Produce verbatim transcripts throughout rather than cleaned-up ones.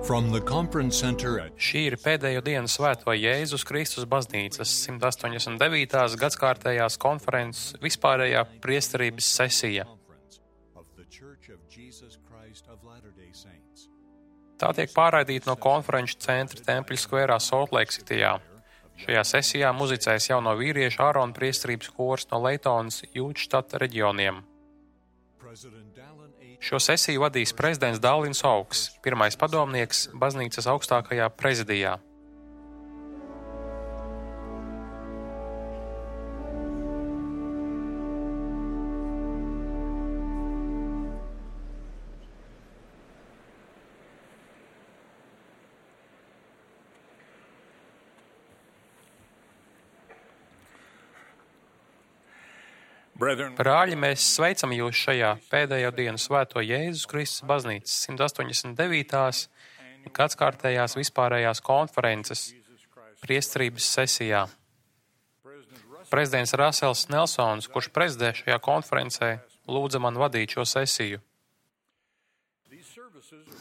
From the conference center at Šī ir pēdējo dienu Svēto Jēzus Kristus baznīcas simt astoņdesmit devītās gadskārtējās konferences vispārējā priesterības sesija. Tā tiek pārraidīta no konferenču centra Tempļa skverā Soltleiks Citijā. Šajā sesijā muzicēs jauno vīriešu Ārona priesterības kors no Leitonas Jūtštata reģioniem. Šo sesiju vadīs prezidents Dallins Augs, pirmais padomnieks baznīcas augstākajā prezidijā. Brāļi, mēs sveicam jūs šajā pēdējo dienu Svēto Jēzus Kristus baznīcas simt astoņdesmit devītās gadskārtējās vispārējās konferences priesterības sesijā. Prezidents Rasels Nelsons, kurš prezidē šajā konferencē, lūdza man vadīt šo sesiju.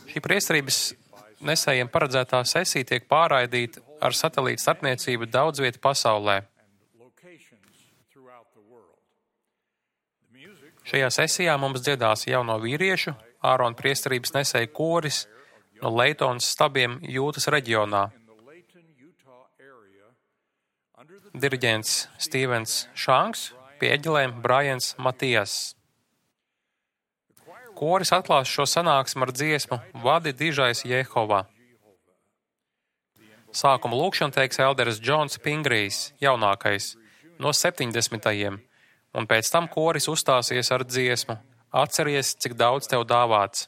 Šī priesterības nesējiem paredzētā sesija tiek pārraidīta ar satelīta starpniecību daudz vietu pasaulē. Šajā sesijā mums dziedās jauno vīriešu, Ārona priesterības nesēju koris no Leitonas stabiem Jūtas reģionā. Diriģents Stīvens Šanks, pie eģelēm Brajans Matijas. Koris atklās šo sanāksmu ar dziesmu Vadi dižais Jehova. Sākuma lūkšanu teiks elderis Džons Pingrijs, jaunākais, no septiņdesmitajiem. Un pēc tam koris uzstāsies ar dziesmu Atceries, cik daudz tev dāvāts.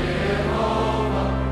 Jehovah.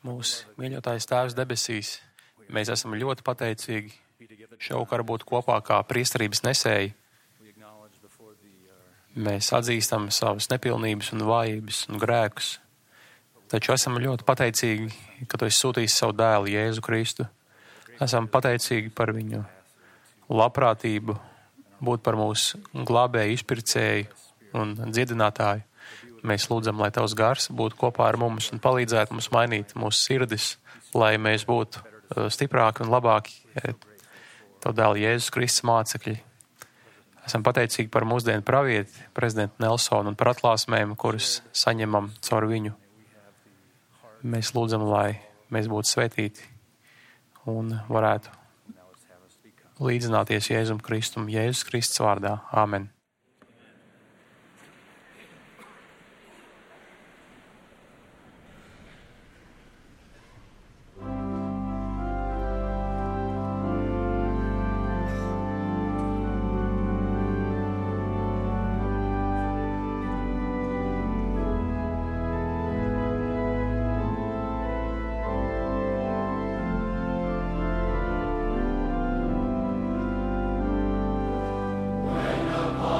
Mūsu mīļotais Tēvs debesīs, mēs esam ļoti pateicīgi šovakar būt kopā kā priesterības nesēji. Mēs atzīstam savas nepilnības un vājības un grēkus, taču esam ļoti pateicīgi, ka Tu esi sūtījis savu dēlu Jēzu Kristu. Esam pateicīgi par viņu labprātību, būt par mūsu glābēju, izpircēju un dziedinātāju. Mēs lūdzam, lai Tavs gars būtu kopā ar mums un palīdzētu mums mainīt mūsu sirdis, lai mēs būtu stiprāki un labāki Tavu dēlu Jēzus Kristus mācekļi. Esam pateicīgi par mūsdienu pravieti, prezidentu Nelsonu, un par atklāsmēm, kuras saņemam caur viņu. Mēs lūdzam, lai mēs būtu svētīti un varētu līdzināties Jēzum Kristum, Jēzus Kristus vārdā. Āmen. When the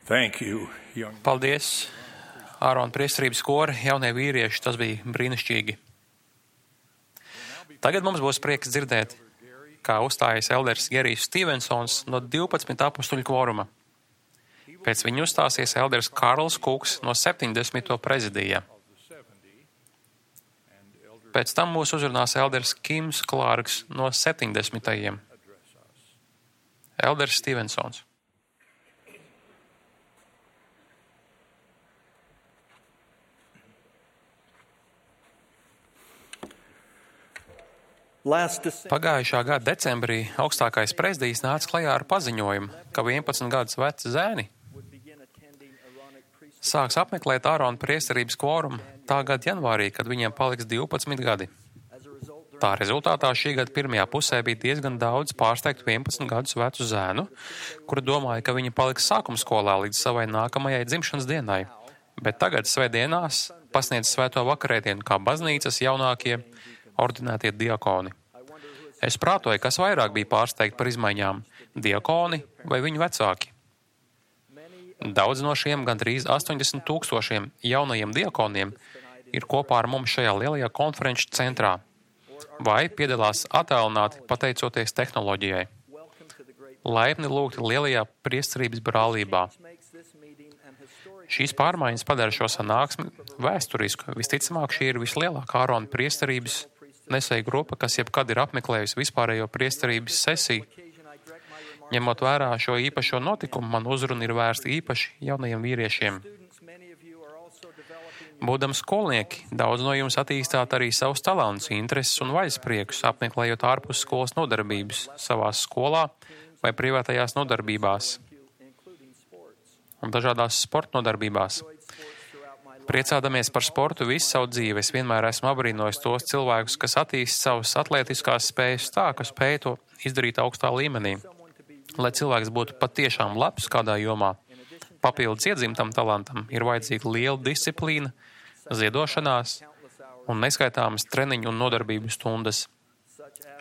Thank you, young. Paldies, Ārona priesterības kori, jaunie vīrieši, tas bija brīnišķīgi. Tagad mums būs prieks dzirdēt, kā uzstājas elders Gerijs Stevensons no divpadsmit apustuļu kvoruma. Pēc viņa uzstāsies elders Kārls Kuks no septiņdesmito prezidija. Pēc tam mūs uzrunās elders Kims Klārks no septiņdesmitajiem. Elders Stevensons. Pagājušā gada decembrī augstākais prezidijs nāca klajā ar paziņojumu, ka vienpadsmit gadus veci zēni sāks apmeklēt Ārona priesterības kvorumu tā gada janvārī, kad viņiem paliks divpadsmit gadi. Tā rezultātā šī gada pirmajā pusē bija diezgan daudz pārsteigtu vienpadsmit gadus vecu zēnu, kuri domāja, ka viņi paliks sākumskolā līdz savai nākamajai dzimšanas dienai, bet tagad svētdienās pasniedz svēto vakarēdienu kā baznīcas jaunākie ordinētie diakoni. Es prātoju, kas vairāk bija pārsteigti par izmaiņām - diakoni vai viņu vecāki. Daudz no šiem gandrīz astoņdesmit tūkstošiem jaunajiem diakoniem ir kopā ar mums šajā lielajā konferenču centrā vai piedalās attālināti pateicoties tehnoloģijai. Laipni lūgti lielajā priesterības brālībā. Šīs pārmaiņas padara šo sanāksmi vēsturisku. Visticamāk, šī ir vislielākā Ārona priesterības nesēja grupa, kas jebkad ir apmeklējusi vispārējo priesterības sesiju. Ņemot vērā šo īpašo notikumu, man uzruna ir vērsta īpaši jaunajiem vīriešiem. Būdams skolnieki, daudz no jums attīstāt arī savus talantus, intereses un vaļaspriekus, apmeklējot ārpus skolas nodarbības, savās skolā vai privātajās nodarbībās un dažādās sporta nodarbībās. Priecādamies par sportu visu savu dzīvi, es vienmēr esmu abrīnojis tos cilvēkus, kas attīst savas atlētiskās spējas tā, ka spēj to izdarīt augstā līmenī. Lai cilvēks būtu patiešām labs kādā jomā, papildus iedzimtam talantam ir vajadzīga liela disciplīna, ziedošanās un neskaitāmas treniņu un nodarbību stundas.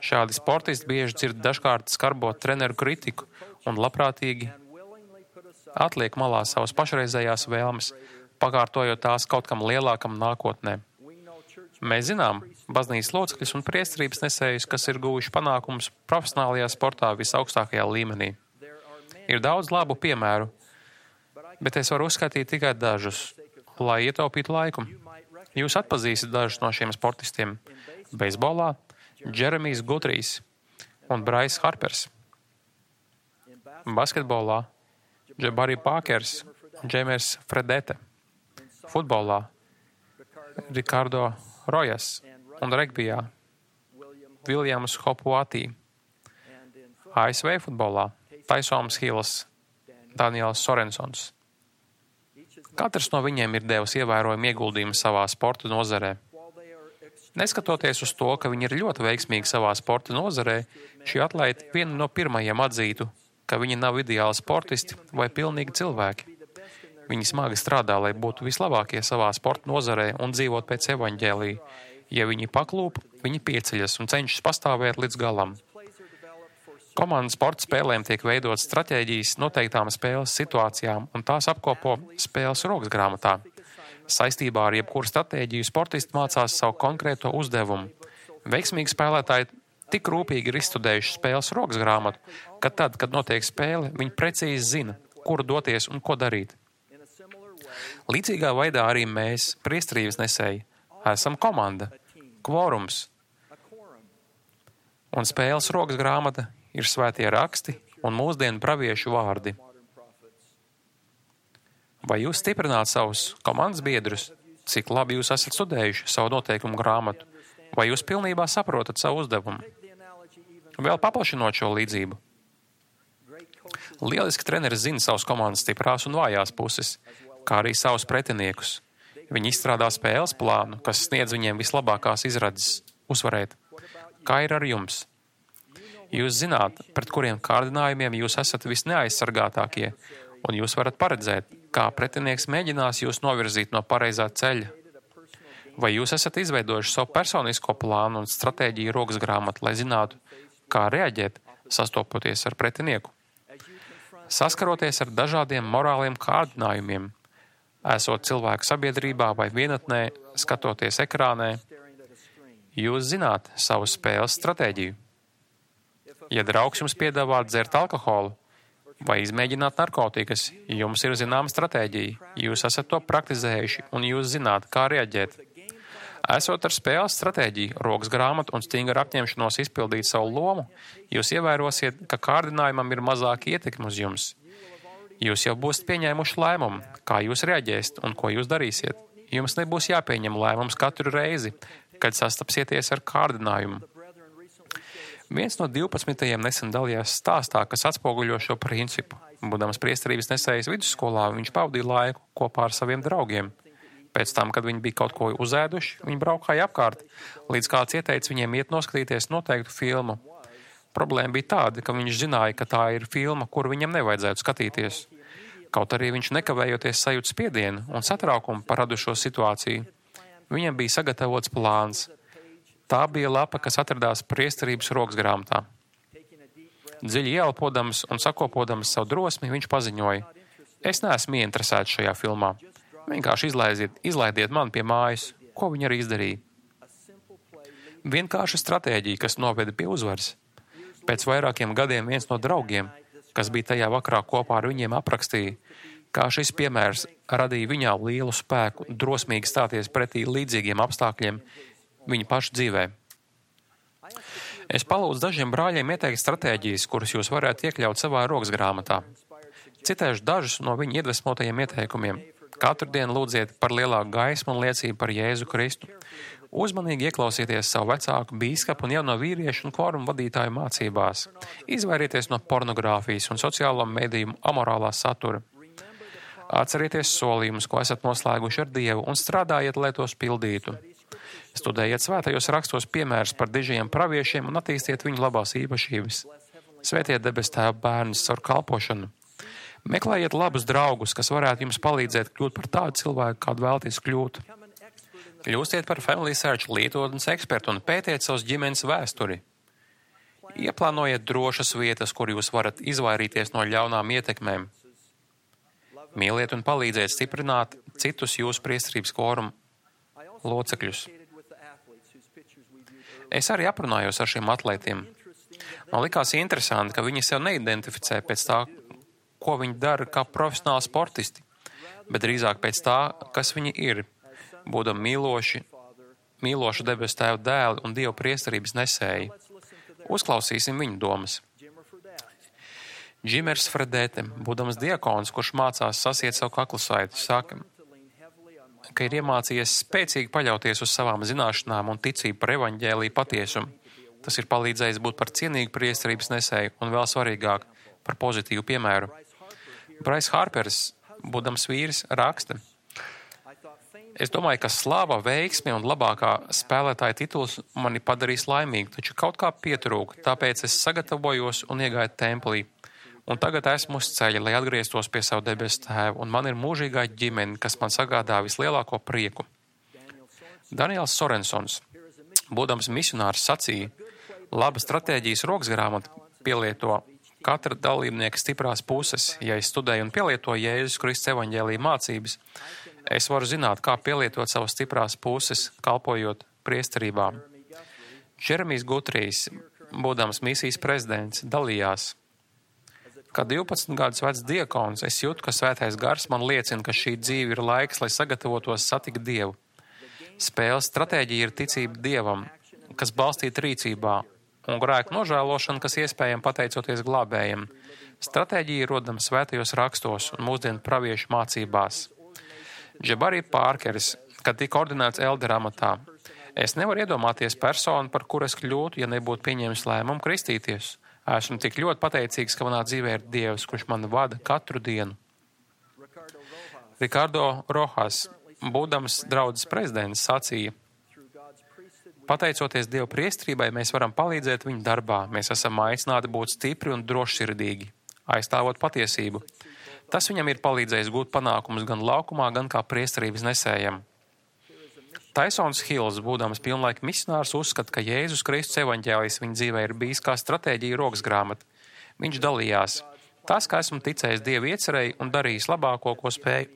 Šādi sportisti bieži dzird dažkārt skarbot treneru kritiku un labprātīgi atliek malā savas pašreizējās vēlmes, pakārtojot tās kaut kam lielākam nākotnē. Mēs zinām baznīcas locekļus un priesterības nesējus, kas ir guvuši panākumus profesionālajā sportā visaugstākajā līmenī. Ir daudz labu piemēru, bet es varu uzskatīt tikai dažus, lai ietaupītu laiku. Jūs atpazīsiet dažus no šiem sportistiem. Beisbolā Džeremijs Gutrijs un Brais Harpers. Basketbolā Jabari Pakers un Džemers Fredete. Futbolā Rikardo Rojas un regbijā Viljams Hopuatī. A S V futbolā Taisoms Hills, Daniels Sorensons. Katrs no viņiem ir devis ievērojumu ieguldījumu savā sporta nozarē. Neskatoties uz to, ka viņi ir ļoti veiksmīgi savā sporta nozarē, šie atlēti vieni no pirmajiem atzītu, ka viņi nav ideāli sportisti vai pilnīgi cilvēki. Viņi smagi strādā, lai būtu vislabākie savā sporta nozarē un dzīvot pēc evaņģēlija. Ja viņi paklūp, viņi pieceļas un cenšas pastāvēt līdz galam. Komandas sporta spēlēm tiek veidotas stratēģijas noteiktām spēles situācijām, un tās apkopo spēles rokas grāmatā. Saistībā ar jebkuru stratēģiju sportisti mācās savu konkrēto uzdevumu. Veiksmīgi spēlētāji tik rūpīgi ir izstudējuši spēles rokas grāmatu, ka tad, kad notiek spēle, viņi precīzi zina, kur doties un ko darīt. Līdzīgā veidā arī mēs, priesterības nesēji, esam komanda, kvorums. Un spēles rokas grāmata ir svētie raksti un mūsdienu praviešu vārdi. Vai jūs stiprināt savus komandas biedrus, cik labi jūs esat studējuši savu noteikumu grāmatu, vai jūs pilnībā saprotat savu uzdevumu? Vēl paplašinot šo līdzību. Lieliski treneris zina savus komandas stiprās un vājās puses, kā arī savus pretiniekus. Viņi izstrādā spēles plānu, kas sniedz viņiem vislabākās izredzes uzvarēt. Kā ir ar jums? Jūs zināt, pret kuriem kārdinājumiem jūs esat visneaizsargātākie, un jūs varat paredzēt, kā pretinieks mēģinās jūs novirzīt no pareizā ceļa. Vai jūs esat izveidojuši savu personisko plānu un stratēģiju rokas grāmatu, lai zinātu, kā reaģēt, sastopoties ar pretinieku? Saskaroties ar dažādiem morāliem kārdinājumiem, esot cilvēku sabiedrībā vai vienatnē, skatoties ekrānē, jūs zināt savu spēles stratēģiju. Ja draugs jums piedāvā dzert alkoholu vai izmēģināt narkotikas, jums ir zināma stratēģija, jūs esat to praktizējuši un jūs zināt, kā reaģēt. Esot ar spēles stratēģiju, rokas grāmatu un stingru apņemšanos izpildīt savu lomu, jūs ievērosiet, ka kārdinājumam ir mazāka ietekme uz jums. Jūs jau būsiet pieņēmuši lēmumu, kā jūs reaģēsiet un ko jūs darīsiet. Jums nebūs jāpieņem lēmums katru reizi, kad sastapsieties ar kārdinājumu. Viens no divpadsmitajiem nesen dalījās stāstā, kas atspoguļo šo principu. Būdams priesterības nesējas vidusskolā, viņš pavadīja laiku kopā ar saviem draugiem. Pēc tam, kad viņi bija kaut ko uzēduši, viņi braukāja apkārt, līdz kāds ieteica viņiem iet noskatīties noteiktu filmu. Problēma bija tāda, ka viņš zināja, ka tā ir filma, kuru viņam nevajadzētu skatīties. Kaut arī viņš nekavējoties sajūt spiedienu un satraukumu par radušo situāciju. Viņam bija sagatavots plāns. Tā bija lapa, kas atradās priesterības rokas grāmatā. Dziļi ieelpodams un sakopodams savu drosmi, viņš paziņoja: Es neesmu ieinteresēts šajā filmā. Vienkārši izlaidiet, izlaidiet mani pie mājas, ko viņi arī izdarīja. Vienkārša stratēģija, kas noveda pie uzvaras. Pēc vairākiem gadiem viens no draugiem, kas bija tajā vakarā kopā ar viņiem, aprakstīja, kā šis piemērs radīja viņā lielu spēku drosmīgi stāties pretī līdzīgiem apstākļiem viņa paša dzīvē. Es palūdzu dažiem brāļiem ieteikt stratēģijas, kuras jūs varētu iekļaut savā rokas grāmatā. Citēšu dažus no viņa iedvesmotajiem ieteikumiem. Katru dienu lūdziet par lielāku gaismu un liecību par Jēzu Kristu. Uzmanīgi ieklausieties savu vecāku, bīskapu un jauno vīriešu un kvorumu vadītāju mācībās. Izvairieties no pornogrāfijas un sociālo mediju amorālā satura. Atcerieties solījumus, ko esat noslēguši ar Dievu, un strādājiet, lai tos pildītu. Studējiet svētajos rakstos piemērus par dižajiem praviešiem un attīstiet viņu labās īpašības. Svētiet debes Tēva bērnus caur kalpošanu. Meklējiet labus draugus, kas varētu jums palīdzēt kļūt par tādu cilvēku, kādu vēlaties kļūt. Kļūstiet par Family Search lietotnes ekspertu un pētiet savus ģimenes vēsturi. Ieplānojiet drošas vietas, kur jūs varat izvairīties no ļaunām ietekmēm. Mīliet un palīdziet stiprināt citus jūsu priesterības kvoruma locekļus. Es arī aprunājos ar šiem atlētiem. Man likās interesanti, ka viņi sev neidentificē pēc tā, ko viņi dara kā profesionāli sportisti, bet drīzāk pēc tā, kas viņi ir, būdami mīloši, mīloši debes Tēva dēli un Dieva priesterības nesēji. Uzklausīsim viņu domas. Džimers Fredēte, būdams diakons, kurš mācās sasiet savu kaklusaitu, saka, ka ir iemācījies spēcīgi paļauties uz savām zināšanām un ticību par evaņģēliju patiesumu. Tas ir palīdzējis būt par cienīgu priesterības nesēju un vēl svarīgāk par pozitīvu piemēru. Brais Harpers, būdams vīrs, raksta: Es domāju, ka slāva, veiksme un labākā spēlētāja tituls mani padarīs laimīgu, taču kaut kā pietrūka, tāpēc es sagatavojos un iegāju templī. Un tagad esmu uz ceļa, lai atgrieztos pie savu debesu Tēvu, un man ir mūžīgā ģimene, kas man sagādā vislielāko prieku. Daniels Sorensons, būdams misionārs, sacīja: Laba stratēģijas rokas grāmata pielieto katra dalībnieka stiprās puses. Ja es studēju un pielietoju Jēzus Kristus evaņģēlija mācības, es varu zināt, kā pielietot savas stiprās puses, kalpojot priesterībā. Džeremijs Gutrijs, būdams misijas prezidents, dalījās: Kā divpadsmit gadus vecs diakons, es jūtu, ka svētais gars man liecina, ka šī dzīve ir laiks, lai sagatavotos satikt Dievu. Spēles stratēģija ir ticība Dievam, kas balstīta rīcībā, un grēku nožēlošana, kas iespējama pateicoties glābējiem. Stratēģija rodama svētajos rakstos un mūsdienu praviešu mācībās. Džabari Pārkeris, kad tika ordinēts eldera amatā: Es nevaru iedomāties personu, par kuru es kļūtu, ja nebūtu pieņēmis lēmumu kristīties. Esmu tik ļoti pateicīgs, ka manā dzīvē ir Dievs, kurš mani vada katru dienu. Rikardo Rojas, būdams draudzes prezidents, sacīja: Pateicoties Dieva priestrībai, mēs varam palīdzēt viņa darbā. Mēs esam aicināti būt stipri un drošsirdīgi, aizstāvot patiesību. Tas viņam ir palīdzējis gūt panākumus gan laukumā, gan kā priesterības nesējam. Taisons Hills, būdams pilnlaika misionārs, uzskata, ka Jēzus Kristus evaņģēlijs viņa dzīvē ir bijis kā stratēģija rokas grāmata. Viņš dalījās: Tas, ka esmu ticējis Dieva iecerēji un darījis labāko, ko spēju,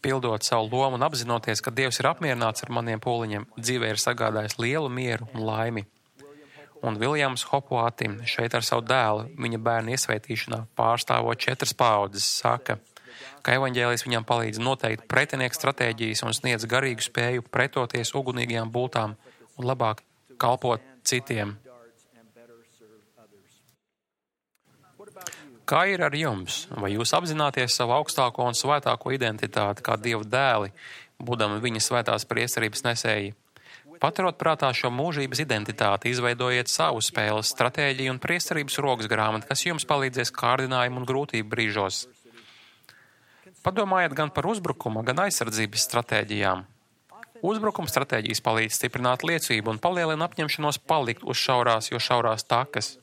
pildot savu lomu un apzinoties, ka Dievs ir apmierināts ar maniem pūliņiem, dzīvē ir sagādājis lielu mieru un laimi. Un Viljams Hopuatim šeit ar savu dēlu, viņa bērnu iesvētīšanā, pārstāvot četras paaudzes, saka, ka evaņģēlijs viņam palīdz noteikt pretinieku stratēģijas un sniedz garīgu spēju pretoties ugunīgajām bultām un labāk kalpot citiem. Kā ir ar jums? Vai jūs apzināties savu augstāko un svētāko identitāti kā Dieva dēli, būdami viņa svētās priesterības nesēji? Paturot prātā šo mūžības identitāti, izveidojiet savu spēles stratēģiju un priesterības rokas grāmatu, kas jums palīdzēs kārdinājumu un grūtību brīžos. Padomājiet gan par uzbrukuma, gan aizsardzības stratēģijām. Uzbrukuma stratēģijas palīdz stiprināt liecību un palielina apņemšanos palikt uz šaurās, jo šaurās takas.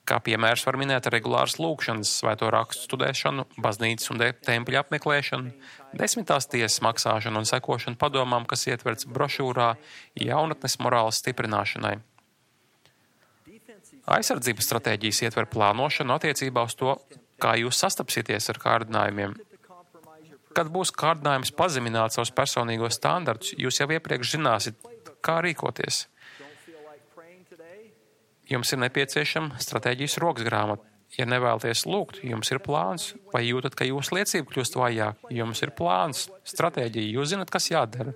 Kā piemērs var minēt regulāras lūkšanas, svēto rakstu studēšanu, baznīcas un tempļa apmeklēšanu, desmitās tiesas maksāšanu un sekošanu padomām, kas ietverts brošūrā jaunatnes morāles stiprināšanai. Aizsardzības stratēģijas ietver plānošanu attiecībā uz to, kā jūs sastapsieties ar kārdinājumiem. Kad būs kārdinājums pazemināt savus personīgos standartus, jūs jau iepriekš zināsiet, kā rīkoties. Jums ir nepieciešama stratēģijas rokas grāmata. Ja nevēlaties lūgt, jums ir plāns. Vai jūtat, ka jūsu liecība kļūst vājāk? Jums ir plāns, stratēģija, jūs zinat, kas jādara.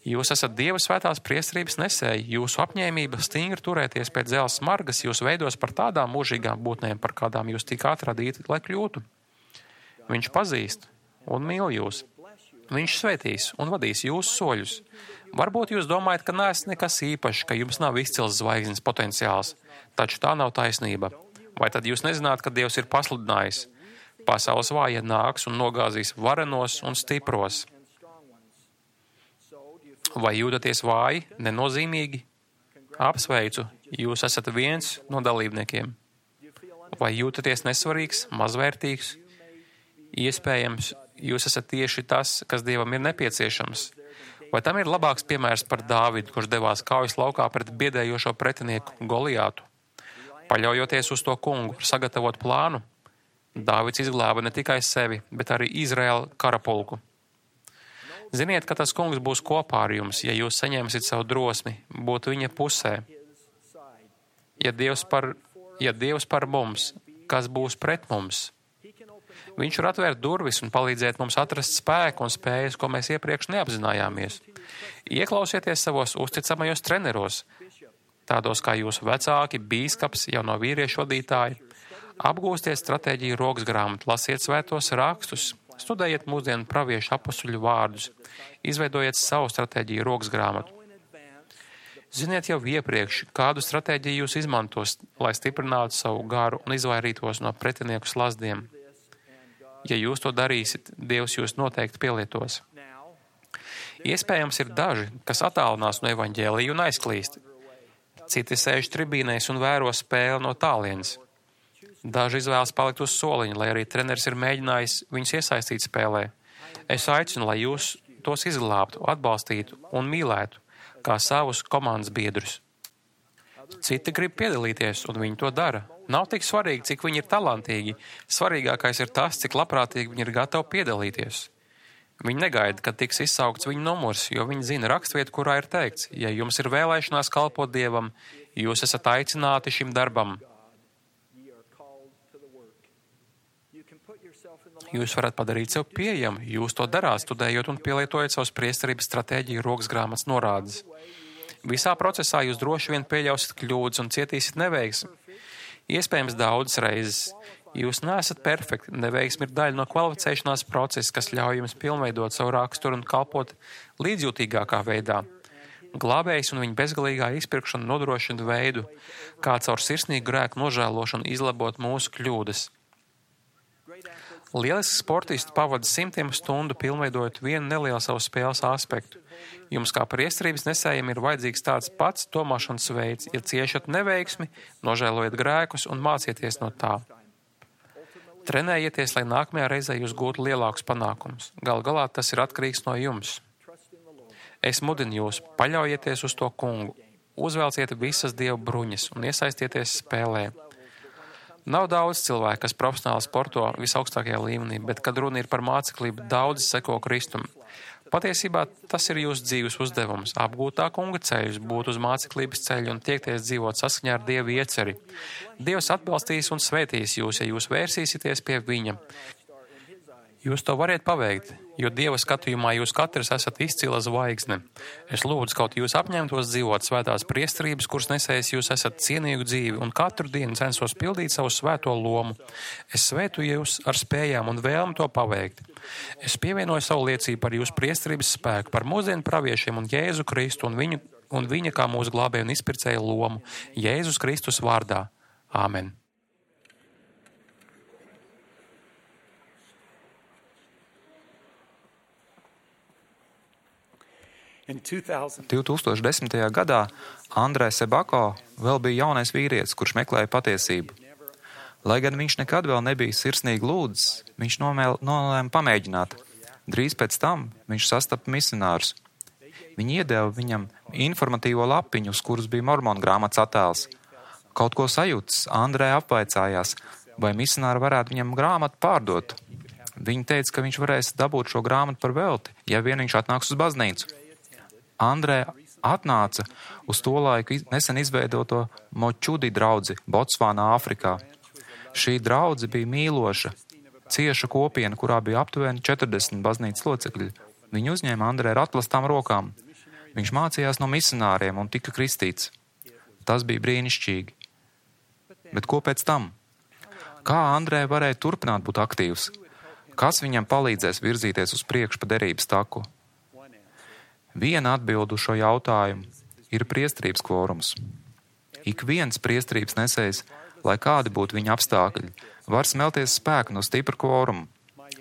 Jūs esat Dieva svētās priesterības nesēji. Jūsu apņēmība stingri turēties pēc dzelzs smargas jūs veidos par tādām mūžīgām būtnēm, par kādām jūs tikāt radīti, lai kļūtu. Viņš pazīst un mīl jūs. Viņš svētīs un vadīs jūsu soļus. Varbūt jūs domājat, ka neesat nekas īpašs, ka jums nav izcils zvaigznes potenciāls, taču tā nav taisnība. Vai tad jūs nezināt, ka Dievs ir pasludinājis? Pasaules vājie nāks un nogāzīs varenos un stipros. Vai jūtaties vāji, nenozīmīgi? Apsveicu, jūs esat viens no dalībniekiem. Vai jūtaties nesvarīgs, mazvērtīgs? Iespējams, jūs esat tieši tas, kas Dievam ir nepieciešams. Vai tam ir labāks piemērs par Dāvidu, kurš devās kaujas laukā pret biedējošo pretinieku Goliātu? Paļaujoties uz to kungu, sagatavot plānu, Dāvids izglāba ne tikai sevi, bet arī Izraēla karapulku. Ziniet, ka tas kungs būs kopā ar jums, ja jūs saņemsiet savu drosmi, būt viņa pusē. Ja Dievs par, ja Dievs par mums, kas būs pret mums? Viņš var atvērt durvis un palīdzēt mums atrast spēku un spējas, ko mēs iepriekš neapzinājāmies. Ieklausieties savos uzticamajos treneros, tādos kā jūsu vecāki, bīskaps, jauno vīriešu vadītāji. Apgūstiet stratēģiju rokas grāmatu, lasiet svētos rakstus, studējiet mūsdienu praviešu apostuļu vārdus, izveidojiet savu stratēģiju rokas grāmatu. Ziniet jau iepriekš, kādu stratēģiju jūs izmantos, lai stiprinātu savu garu un izvairītos no pretinieku slazdiem. Ja jūs to darīsiet, Dievs jūs noteikti pielietos. Iespējams ir daži, kas attālinās no evaņģēlija un aizklīst. Citi sēž tribīnēs un vēro spēli no tālienes. Daži izvēlas palikt uz soliņa, lai arī treneris ir mēģinājis viņus iesaistīt spēlē. Es aicinu, lai jūs tos izglābtu, atbalstītu un mīlētu, kā savus komandas biedrus. Citi grib piedalīties, un viņi to dara. Nav tik svarīgi, cik viņi ir talantīgi. Svarīgākais ir tas, cik labprātīgi viņi ir gatavi piedalīties. Viņi negaida, kad tiks izsaukts viņu numurs, jo viņi zina rakstvietu, kurā ir teikts, ja jums ir vēlēšanās kalpot Dievam, jūs esat aicināti šim darbam. Jūs varat padarīt sev pieejamu, jūs to darāt, studējot un pielietojot savas priesterības stratēģiju rokas grāmatas norādes. Visā procesā jūs droši vien pieļausiet kļūdas un cietīsiet neveiksmi. Iespējams daudzas reizes. Jūs neesat perfekti, neveiksmi ir daļa no kvalificēšanās procesa, kas ļauj jums pilnveidot savu raksturu un kalpot līdzjūtīgākā veidā. Glābējs un viņa bezgalīgā izpirkšana nodrošina veidu, kā caur sirsnīgu grēku nožēlošanu izlabot mūsu kļūdas. Lielisks sportists pavada simtiem stundu pilnveidojot vienu nelielu savu spēles aspektu. Jums kā priesterības nesējiem ir vajadzīgs tāds pats domāšanas veids, ja ciešat neveiksmi, nožēlojiet grēkus un mācieties no tā. Trenējieties, lai nākamajā reizē jūs gūtu lielākus panākumus. Gal galā tas ir atkarīgs no jums. Es mudinu jūs, paļaujieties uz to kungu, uzvelciet visas Dieva bruņas un iesaistieties spēlē. Nav daudz cilvēku, kas profesionāli sporto visaugstākajā līmenī, bet, kad runa ir par māceklību, daudzi seko Kristum. Patiesībā tas ir jūsu dzīves uzdevums - apgūt tā kunga ceļus, būt uz māceklības ceļu un tiekties dzīvot saskaņā ar Dieva ieceri. Dievs atbalstīs un svētīs jūs, ja jūs vērsīsieties pie viņa. Jūs to variet paveikt, jo Dieva skatījumā jūs katrs esat izcila zvaigzne. Es lūdzu, kaut jūs apņemtos dzīvot svētās priesterības, kuras nesējis jūs esat cienīgu dzīvi, un katru dienu censos pildīt savu svēto lomu. Es svētu jūs ar spējām un vēlmu to paveikt. Es pievienoju savu liecību par jūsu priesterības spēku, par mūsdienu praviešiem un Jēzu Kristu un, viņu, un viņa kā mūsu glābēja un izpircēja lomu. Jēzus Kristus vārdā. Āmen. divtūkstoš desmitajā gadā Andrē Sebako vēl bija jaunais vīrietis, kurš meklēja patiesību. Lai gan viņš nekad vēl nebija sirsnīgi lūdzis, viņš nolēma pamēģināt. Drīz pēc tam viņš sastapa misionārus. Viņi iedeva viņam informatīvo lapiņu, uz kuras bija mormonu grāmatas attēls. Kaut ko sajūtas, Andrē apvaicājās, vai misionāri varētu viņam grāmatu pārdot. Viņi teica, ka viņš varēs dabūt šo grāmatu par velti, ja vien viņš atnāks uz baznīcu. Andrē atnāca uz to laiku nesen izveidoto Močudi draudzi Botsvānā, Āfrikā. Šī draudze bija mīloša, cieša kopiena, kurā bija aptuveni četrdesmit baznīcas locekļi. Viņi uzņēma Andrē ar atklātām rokām. Viņš mācījās no misionāriem un tika kristīts. Tas bija brīnišķīgi. Bet ko pēc tam? Kā Andrē varēja turpināt būt aktīvs? Kas viņam palīdzēs virzīties uz priekšu pa derības taku? Viena atbilde uz šo jautājumu ir priesterības kvorums. Ik viens priesterības nesējs, lai kādi būtu viņa apstākļi, var smelties spēku no stipra kvoruma.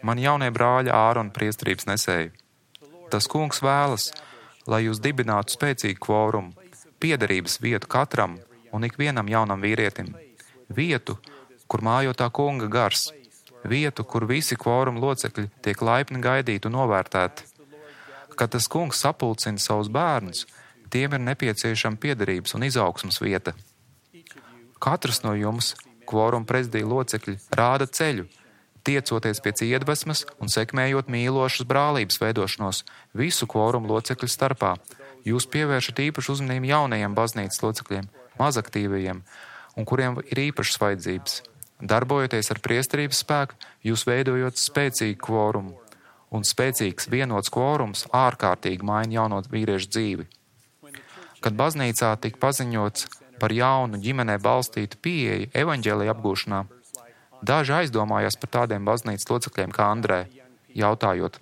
Man jaunie brāļi Ārona priesterības nesēji. Tas kungs vēlas, lai jūs dibinātu spēcīgu kvorumu, piederības vietu katram un ikvienam jaunam vīrietim. Vietu, kur mājo tā kunga gars. Vietu, kur visi kvoruma locekļi tiek laipni gaidīti un novērtēti. Kad tas kungs sapulcina savus bērnus, tiem ir nepieciešama piederības un izaugsmas vieta. Katrs no jums, kvoruma prezidija locekļi, rāda ceļu, tiecoties pēc iedvesmas un sekmējot mīlošas brālības veidošanos visu kvoruma locekļu starpā. Jūs pievēršat īpašu uzmanību jaunajiem baznīcas locekļiem, mazaktīvajiem, un kuriem ir īpašas vajadzības. Darbojoties ar priesterības spēku, jūs veidojot spēcīgu kvorumu. Un spēcīgs vienots kvorums ārkārtīgi maina jauno vīriešu dzīvi. Kad baznīcā tika paziņots par jaunu ģimenē balstītu pieeju evaņģēlija apgūšanā, daži aizdomājās par tādiem baznīcas locekļiem kā Andrē, jautājot,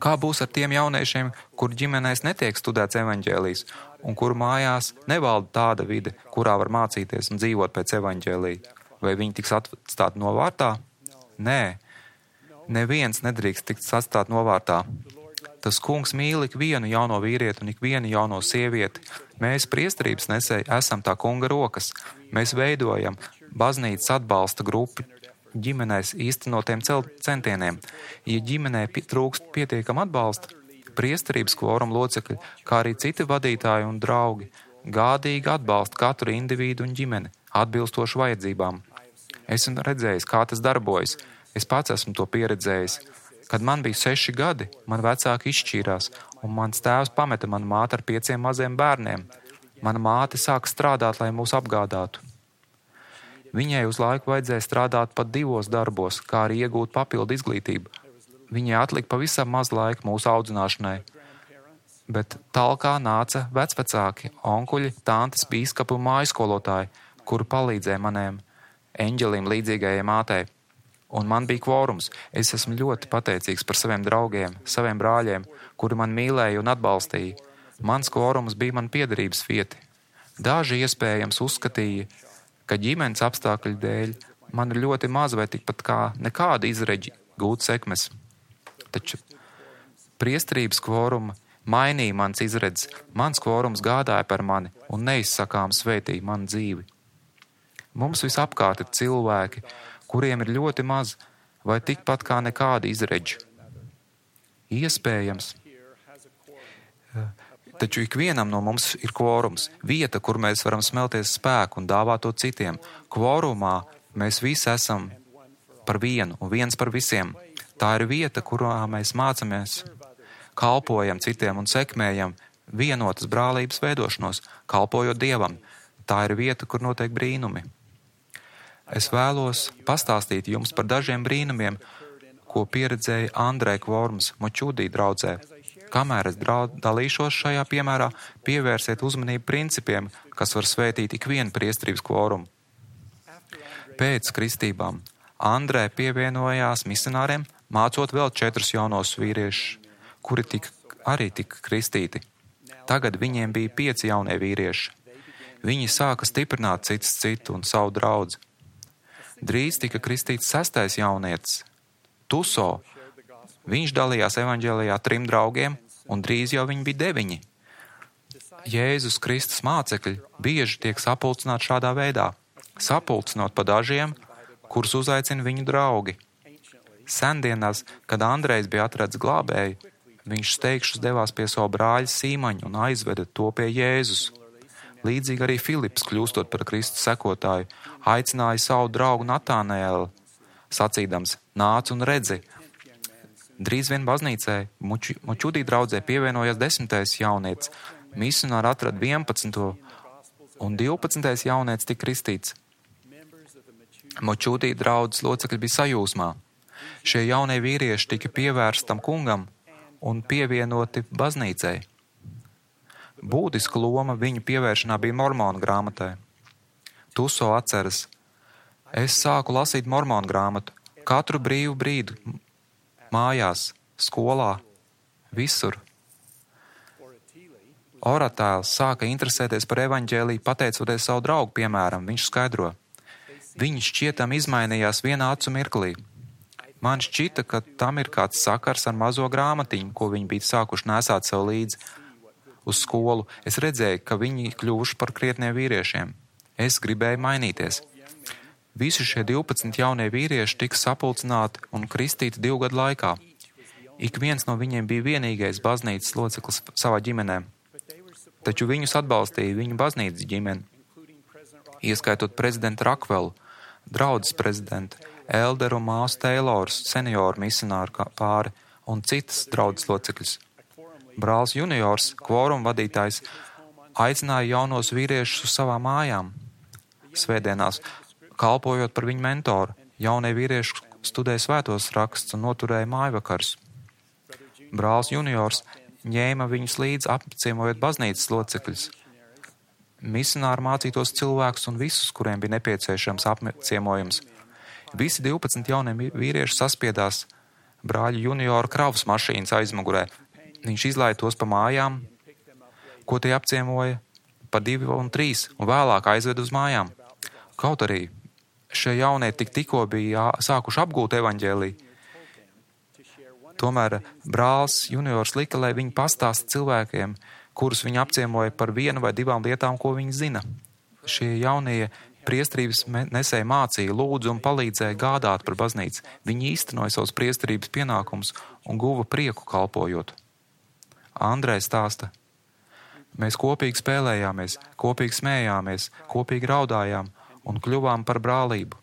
kā būs ar tiem jauniešiem, kur ģimenēs netiek studēts evaņģēlijs un kuru mājās nevalda tāda vide, kurā var mācīties un dzīvot pēc evaņģēlija? Vai viņi tiks atstāti novārtā? Nē. Neviens nedrīkst tikt atstāt novārtā. Tas kungs mīl ikvienu jauno vīrieti un ikvienu jauno sievieti. Mēs, priesterības nesēji, esam tā kunga rokas. Mēs veidojam baznīcas atbalsta grupu ģimenēs īstenotiem centieniem. Ja ģimenē trūkst pietiekam atbalsta, priesterības kvoruma locekļi, kā arī citi vadītāji un draugi, gādīgi atbalsta katru individu un ģimeni, atbilstoši vajadzībām. Esmu redzējis, kā tas darbojas. Es pats esmu to pieredzējis. Kad man bija seši gadi, man vecāki izšķīrās, un mans tēvs pameta manu māti ar pieciem maziem bērniem. Mana māte sāka strādāt, lai mūs apgādātu. Viņai uz laiku vajadzēja strādāt pat divos darbos, kā arī iegūt papildu izglītību. Viņai atlika pavisam maz laika mūsu audzināšanai. Bet talkā nāca vecvecāki, onkuļi, tantes, bīskapi un mājskolotāji, kuri palīdzēja maniem eņģelim līdzīgajai mātei. Un man bija kvorums. Es esmu ļoti pateicīgs par saviem draugiem, saviem brāļiem, kuri man mīlēja un atbalstīja. Mans kvorums bija man piederības vieta. Daži iespējams uzskatīja, ka ģimenes apstākļu dēļ man ir ļoti maz vai tikpat kā nekāda izredzi gūt sekmes. Taču priesterības kvoruma mainīja mans izredzes. Mans kvorums gādāja par mani un neizsakām svētīja manu dzīvi. Mums visapkārt ir cilvēki, kuriem ir ļoti maz vai tikpat kā nekāda izredzi. Iespējams. Taču ikvienam no mums ir kvorums, vieta, kur mēs varam smelties spēku un dāvāt to citiem. Kvorumā Mēs visi esam par vienu un viens par visiem. Tā ir vieta, kurā mēs mācāmies, kalpojam citiem un sekmējam vienotas brālības veidošanos, kalpojot Dievam. Tā ir vieta, kur notiek brīnumi. Es vēlos pastāstīt jums par dažiem brīnumiem, ko pieredzēja Andrē Kvorums Močudī draudzē. Kamēr es draud, dalīšos šajā piemērā, pievērsiet uzmanību principiem, kas var svētīt ikvienu priesterības kvorumu. Pēc kristībām Andrē pievienojās misionāriem, mācot vēl četrus jaunos vīriešus, kuri tika, arī tika kristīti. Tagad viņiem bija pieci jaunie vīrieši. Viņi sāka stiprināt citus citu un savu draudzi. Drīz tika kristīts sestais jaunietis, Tuso. Viņš dalījās evaņģēlijā trim draugiem, un drīz jau viņi bija deviņi. Jēzus Kristus mācekļi bieži tiek sapulcināti šādā veidā, sapulcinot pa dažiem, kurus uzaicina viņu draugi. Sendienās, kad Andrejs bija atradis glābēju, viņš steigšus devās pie savu brāļa Sīmaņu un aizveda to pie Jēzus. Līdzīgi arī Filips, kļūstot par Kristus sekotāju, aicināja savu draugu Natānēlu, sacīdams: nāc un redzi. Drīz vien baznīcai Močudī draudzē pievienojās desmitais jaunietis, misionāri atrada vienpadsmito un divpadsmitais jaunietis tika kristīts. Močudī draudzes locekļi bija sajūsmā. Šie jaunie vīrieši tika pievērstam kungam un pievienoti baznīcai. Būtiska loma viņu pievēršanā bija Mormonu grāmatai. Tuso atceras: es sāku lasīt Mormonu grāmatu katru brīvu brīdi, mājās, skolā, visur. Oratēls sāka interesēties par evaņģēliju, pateicoties savu draugu piemēram, viņš skaidro. Viņi šķietam izmainījās vienā acu mirklī. Man šķita, ka tam ir kāds sakars ar mazo grāmatiņu, ko viņi bija sākuši nesāt sev līdzi uz skolu. Es redzēju, ka viņi kļuvuši par krietniem vīriešiem. Es gribēju mainīties. Visi šie divpadsmit jaunie vīrieši tika sapulcināti un kristīti divu gadu laikā. Ik viens no viņiem bija vienīgais baznīcas loceklis savā ģimenē. Taču viņus atbalstīja viņu baznīcas ģimene, ieskaitot prezidentu Rakvelu, draudzes prezidentu, Elderu māsu Teilors, senioru misionāru pāri un citas draudzes locekļus. Brālis juniors, kvoruma vadītājs, aicināja jaunos vīriešus uz savām mājām. Svētdienās, kalpojot par viņu mentoru, jaunie vīrieši studēja svētos rakstus un noturēja mājvakars. Brālis juniors ņēma viņus līdzi, apciemojot baznīcas locekļus. Misionāri mācītos cilvēkus un visus, kuriem bija nepieciešams apciemojums. Visi divpadsmit jaunie vīrieši saspiedās brāļa juniora kravas mašīnas aizmugurē. Viņš izlaiž tos pa mājām, ko tie apciemoja, pa divi un trīs, un vēlāk aizved uz mājām. Kaut arī šie jaunie tik tikko bija sākuši apgūt evaņģēliju, tomēr brālis juniors lika, lai viņi pastāsta cilvēkiem, kurus viņi apciemoja par vienu vai divām lietām, ko viņi zina. Šie jaunie priesterības nesēji mācīja, lūdzu un palīdzēja gādāt par baznīcu. Viņi īstenoja savus priesterības pienākumus un guva prieku kalpojot. Andrejs stāsta: mēs kopīgi spēlējāmies, kopīgi smējāmies, kopīgi raudājām un kļuvām par brālību.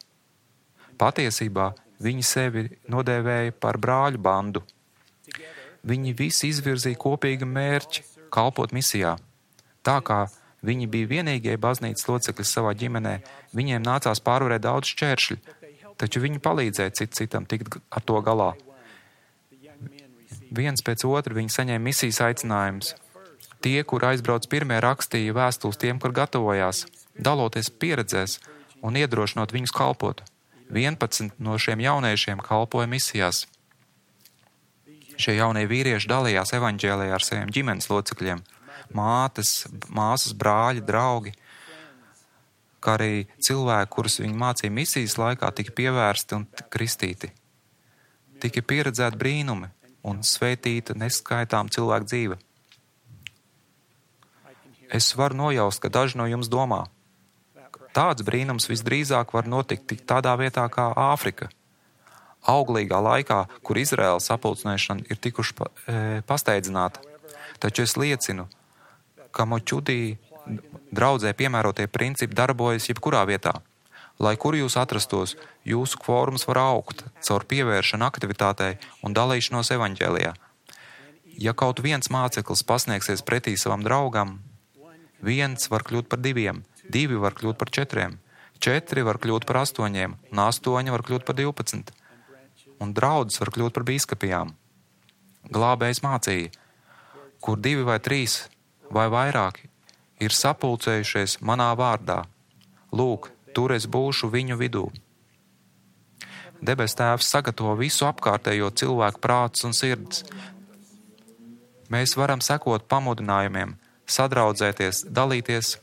Patiesībā viņi sevi nodēvēja par brāļu bandu. Viņi visi izvirzīja kopīgu mērķi kalpot misijā. Tā kā viņi bija vienīgie baznīcas locekļi savā ģimenē, viņiem nācās pārvarēt daudz šķēršļu, taču viņi palīdzēja cit citam tikt ar to galā. Viens pēc otra viņi saņēma misijas aicinājumus. Tie, kur aizbrauc pirmie, rakstīja vēstules tiem, kur gatavojās, daloties pieredzēs un iedrošinot viņus kalpot. vienpadsmit no šiem jauniešiem kalpoja misijās. Šie jaunie vīrieši dalījās evaņģēlijā ar saviem ģimenes locekļiem, mātes, māsas, brāļi, draugi, kā arī cilvēki, kurus viņi mācīja misijas laikā, tika pievērsti un kristīti. Tika pieredzēti brīnumi un svētīta neskaitām cilvēku dzīve. Es varu nojaust, ka daži no jums domā, tāds brīnums visdrīzāk var notikt tik tādā vietā kā Āfrika. Auglīgā laikā, kur Izraēlas sapulcināšana ir tikuši pa, e, pasteidzināta. Taču es liecinu, ka Močudī draudzē piemērotie principi darbojas jebkurā vietā. Lai kur jūs atrastos, jūsu kvorums var augt caur pievēršanu aktivitātei un dalīšanos evaņģēlijā. Ja kaut viens māceklis pasniegsies pretī savam draugam, viens var kļūt par diviem, divi var kļūt par četriem, četri var kļūt par astoņiem, un astoņi var kļūt par divpadsmit, un draudzes var kļūt par bīskapijām. Glābējs mācīja, kur divi vai trīs vai vairāki ir sapulcējušies manā vārdā. Lūk, tur es būšu viņu vidū. Debes Tēvs sagatavo visu apkārtējo cilvēku prātus un sirds. Mēs varam sekot pamudinājumiem, sadraudzēties, dalīties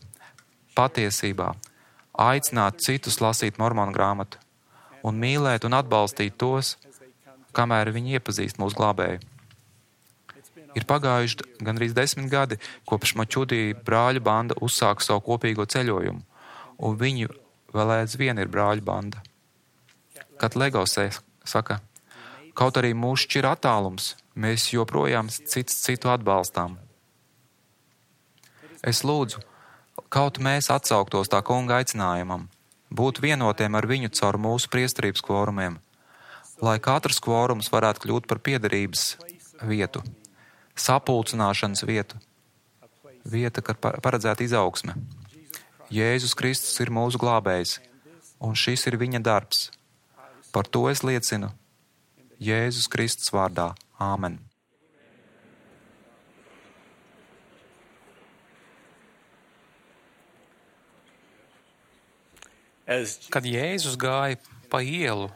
patiesībā, aicināt citus lasīt mormonu grāmatu un mīlēt un atbalstīt tos, kamēr viņi iepazīst mūsu glābēju. Ir pagājuši gandrīz desmit gadi, kopš Mačudī brāļu banda uzsāka savu kopīgo ceļojumu, un viņi vēl aizvien ir brāļu banda. Kad Legosē saka, kaut arī mūs šķir attālums, mēs joprojām cits citu atbalstām. Es lūdzu, kaut mēs atsauktos tā kunga aicinājumam, būt vienotiem ar viņu caur mūsu priesterības kvorumiem, lai katrs kvorums varētu kļūt par piederības vietu, sapulcināšanas vietu, vieta, kad paredzēta izaugsme. Jēzus Kristus ir mūsu glābējs, un šis ir viņa darbs. Par to es liecinu Jēzus Kristus vārdā. Āmen. Kad Jēzus gāja pa ielu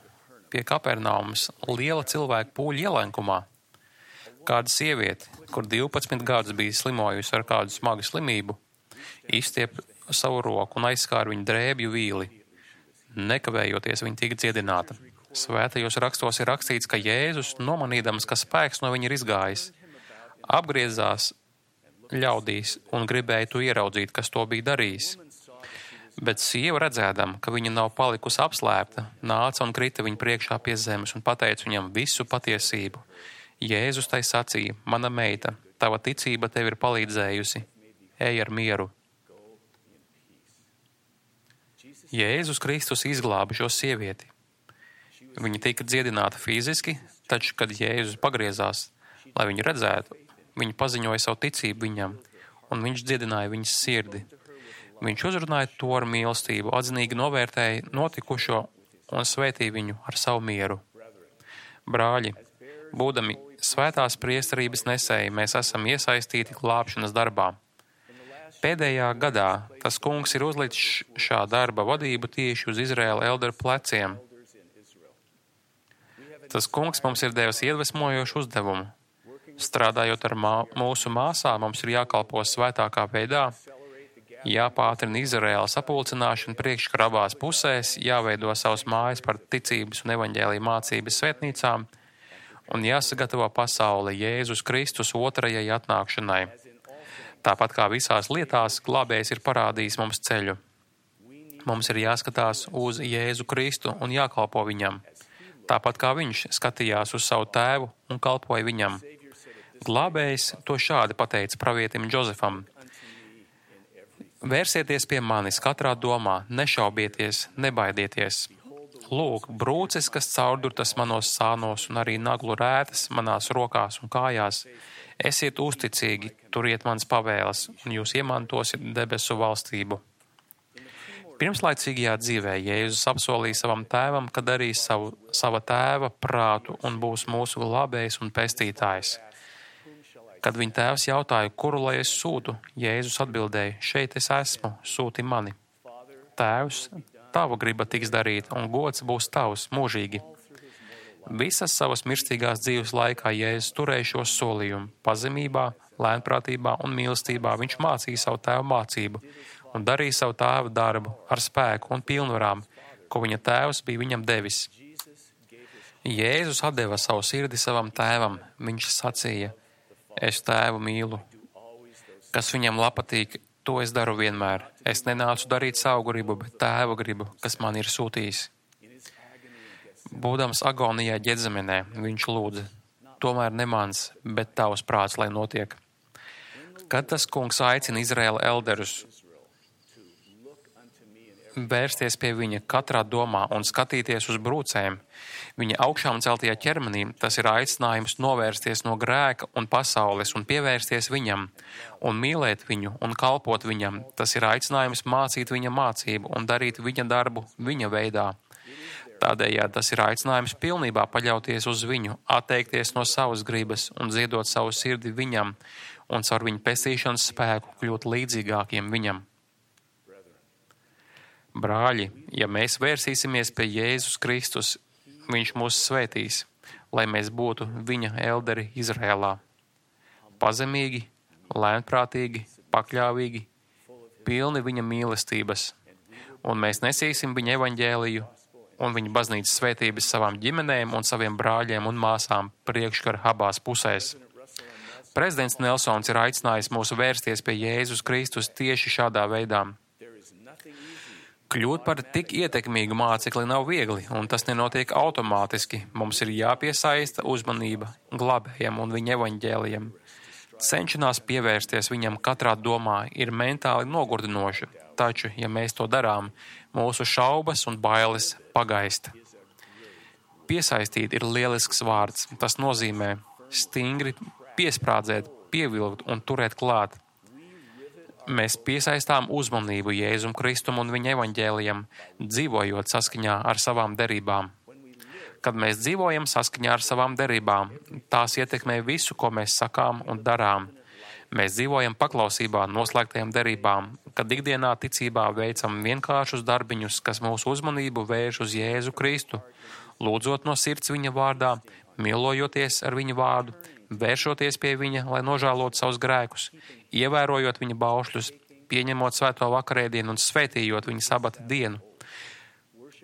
pie Kapernaumas liela cilvēku pūļa ielenkumā, kāda sieviete, kur divpadsmit gadus bija slimojusi ar kādu smagu slimību, izstiep savu roku un aizskāra viņu drēbju vīli. Nekavējoties viņa tika dziedināta. Svētajos rakstos ir rakstīts, ka Jēzus, nomanīdams, ka spēks no viņa ir izgājis, apgriezās ļaudīs un gribēja to ieraudzīt, kas to bija darījis. Bet sieva redzēdama, ka viņa nav palikusi apslēpta, nāca un krita viņa priekšā pie zemes un pateica viņam visu patiesību. Jēzus tai sacīja, mana meita, tava ticība tev ir palīdzējusi, ej ar mieru. Jēzus Kristus izglāba šo sievieti. Viņa tika dziedināta fiziski, taču, kad Jēzus pagriezās, lai viņu redzētu, viņa paziņoja savu ticību viņam, un viņš dziedināja viņas sirdi. Viņš uzrunāja to ar mīlestību, atzinīgi novērtēja notikušo un svētīja viņu ar savu mieru. Brāļi, būdami svētās priesterības nesēji, mēs esam iesaistīti glābšanas darbā. Pēdējā gadā tas kungs ir uzlicis šā darba vadību tieši uz Izraēla elderu pleciem. Tas kungs mums ir devis iedvesmojošu uzdevumu. Strādājot ar mā, mūsu māsām, mums ir jākalpo svētākā veidā, jāpātrina Izraēla sapulcināšana priekškara abās pusēs, jāveido savas mājas par ticības un evaņģēlija mācības svētnīcām un jāsagatavo pasaule Jēzus Kristus otrajai atnākšanai. Tāpat kā visās lietās, glābējs ir parādījis mums ceļu. Mums ir jāskatās uz Jēzu Kristu un jākalpo viņam. Tāpat kā viņš skatījās uz savu tēvu un kalpoja viņam. Glābējs to šādi pateica pravietim Džozefam. Vērsieties pie manis katrā domā, nešaubieties, nebaidieties. Lūk, brūces, kas caurdurtas manos sānos un arī naglu rētas manās rokās un kājās. Esiet uzticīgi, turiet mans pavēles, un jūs iemantosiet debesu valstību. Pirmslaicīgajā dzīvē Jēzus apsolīja savam tēvam, ka darīs savu, sava tēva prātu un būs mūsu glābējs un pestītājs. Kad viņa tēvs jautāja, kuru lai es sūtu, Jēzus atbildēja, šeit es esmu, sūti mani. Tēvs, tava griba tiks darīta, un gods būs tavs mūžīgi. Visas savas mirstīgās dzīves laikā Jēzus turēja šo solījumu. Pazemībā, lēnprātībā un mīlestībā viņš mācīja savu tēvu mācību un darīja savu tēva darbu ar spēku un pilnvarām, ko viņa tēvs bija viņam devis. Jēzus atdeva savu sirdi savam tēvam. Viņš sacīja, es tēvu mīlu. Kas viņam patīk, to es daru vienmēr. Es nenācu darīt savu gribu, bet tēva gribu, kas man ir sūtījis. Būdams agonijā Ģedzemenē, viņš lūdza, tomēr ne mans, bet tavs prāts, lai notiek. Kad tas kungs aicina Izraēla elderus vērsties pie viņa katrā domā un skatīties uz brūcēm. Viņa augšām celtajā ķermenī tas ir aicinājums novērsties no grēka un pasaules un pievērsties viņam, un mīlēt viņu un kalpot viņam. Tas ir aicinājums mācīt viņa mācību un darīt viņa darbu viņa veidā. Tādējādi tas ir aicinājums pilnībā paļauties uz viņu, atteikties no savas gribas un ziedot savu sirdi viņam un caur viņa pestīšanas spēku kļūt līdzīgākiem viņam. Brāļi, ja mēs vērsīsimies pie Jēzus Kristus, viņš mūs svētīs, lai mēs būtu viņa elderi Izrēlā. Pazemīgi, lēnprātīgi, pakļāvīgi, pilni viņa mīlestības, un mēs nesīsim viņa evaņģēliju un viņa baznīcas svētības savām ģimenēm un saviem brāļiem un māsām priekškara abās pusēs. Prezidents Nelsons ir aicinājis mūs vērsties pie Jēzus Kristus tieši šādā veidā. Kļūt par tik ietekmīgu mācekli nav viegli, un tas nenotiek automātiski. Mums ir jāpiesaista uzmanība glābējam un viņa evaņģēlijam. Cenšanās pievērsties viņam katrā domā ir mentāli nogurdinoša, taču, ja mēs to darām, mūsu šaubas un bailes pagaista. Piesaistīt ir lielisks vārds. Tas nozīmē stingri piesprādzēt, pievilkt un turēt klāt. Mēs piesaistām uzmanību Jēzum Kristum un viņa evaņģēlijam, dzīvojot saskaņā ar savām derībām. Kad mēs dzīvojam saskaņā ar savām derībām, tās ietekmē visu, ko mēs sakām un darām. Mēs dzīvojam paklausībā noslēgtajām derībām, kad ikdienā ticībā veicam vienkāršus darbiņus, kas mūsu uzmanību vērš uz Jēzu Kristu, lūdzot no sirds viņa vārdā, mīlojoties ar viņa vārdu, vēršoties pie viņa, lai nožēlotu savus grēkus, ievērojot viņa baušļus, pieņemot svēto vakarēdienu un svētījot viņa sabata dienu,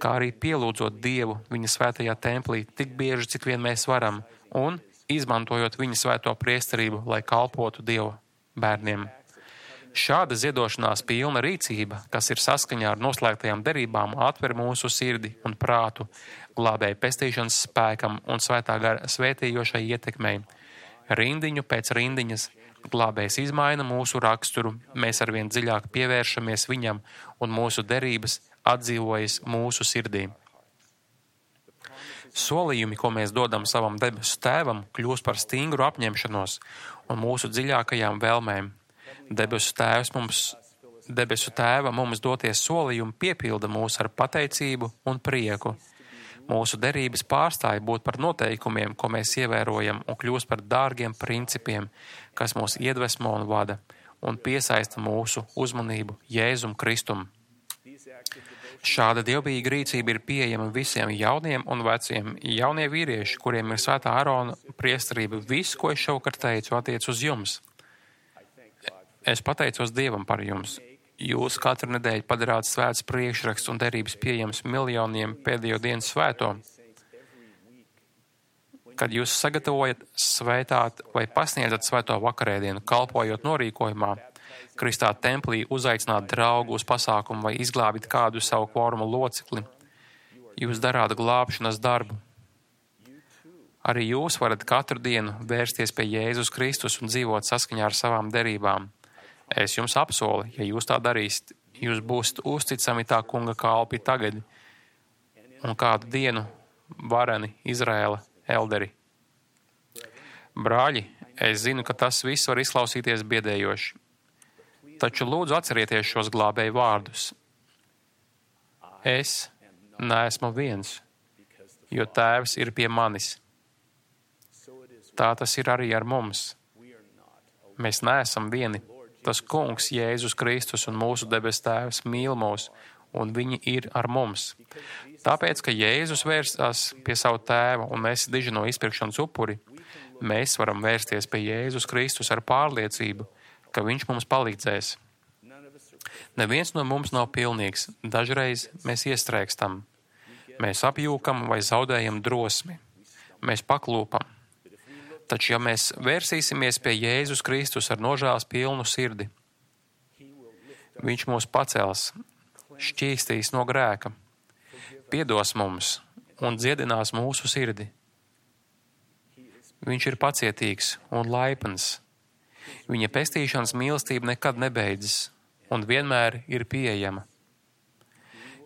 kā arī pielūdzot Dievu viņa svētajā templī tik bieži, cik vien mēs varam, un izmantojot viņa svēto priesterību, lai kalpotu Dieva bērniem. Šāda ziedošanās pilna rīcība, kas ir saskaņā ar noslēgtajām derībām, atver mūsu sirdi un prātu glābēja pestīšanas spēkam un svētā gara svētījošai ietekmei. Rindiņu pēc rindiņas glābējs izmaina mūsu raksturu, mēs arvien dziļāk pievēršamies viņam un mūsu derības atdzīvojas mūsu sirdī. Solījumi, ko mēs dodam savam debesu tēvam, kļūst par stingru apņemšanos un mūsu dziļākajām vēlmēm. Debesu tēvs mums, debesu tēva mums doties solījumi piepilda mūs ar pateicību un prieku. Mūsu derības pārstāja būt par noteikumiem, ko mēs ievērojam, un kļūst par dārgiem principiem, kas mūs iedvesmo un vada, un piesaista mūsu uzmanību Jēzum Kristum. Šāda dievbijīga rīcība ir pieejama visiem jauniem un veciem. Jaunie vīrieši, kuriem ir svētā Ārona priesterība, visu, ko es šovakar teicu, attiec uz jums. Es pateicos Dievam par jums. Jūs katru nedēļu padarāt svēts priekšraksts un derības pieejams miljoniem pēdējo dienu svēto. Kad jūs sagatavojat, svētāt vai pasniedzat svēto vakarēdienu, kalpojot norīkojumā, Kristā templī uzaicināt draugu uz pasākumu vai izglābit kādu savu kvoruma locekli, jūs darāt glābšanas darbu. Arī jūs varat katru dienu vērsties pie Jēzus Kristus un dzīvot saskaņā ar savām derībām. Es jums apsolu, ja jūs tā darīsiet, jūs būsiet uzticami tā kunga kalpi tagad un kādu dienu vareni Izraēla elderi. Brāļi, es zinu, ka tas viss var izklausīties biedējoši, taču lūdzu atcerieties šos glābēju vārdus. Es neesmu viens, jo Tēvs ir pie manis. Tā tas ir arī ar mums. Mēs neesam vieni. Tas Kungs, Jēzus Kristus un mūsu debes Tēvs mīl mūs, un viņi ir ar mums. Tāpēc, ka Jēzus vērstās pie savu tēva un mēs diži no izpirkšanas upuri, mēs varam vērsties pie Jēzus Kristus ar pārliecību, ka viņš mums palīdzēs. Neviens no mums nav pilnīgs. Dažreiz mēs iestrēgstam. Mēs apjūkam vai zaudējam drosmi. Mēs paklūpam. Taču, ja mēs vērsīsimies pie Jēzus Kristus ar nožēlas pilnu sirdi, viņš mūs pacels, šķīstīs no grēka, piedos mums un dziedinās mūsu sirdi. Viņš ir pacietīgs un laipns. Viņa pestīšanas mīlestība nekad nebeidzas un vienmēr ir pieejama.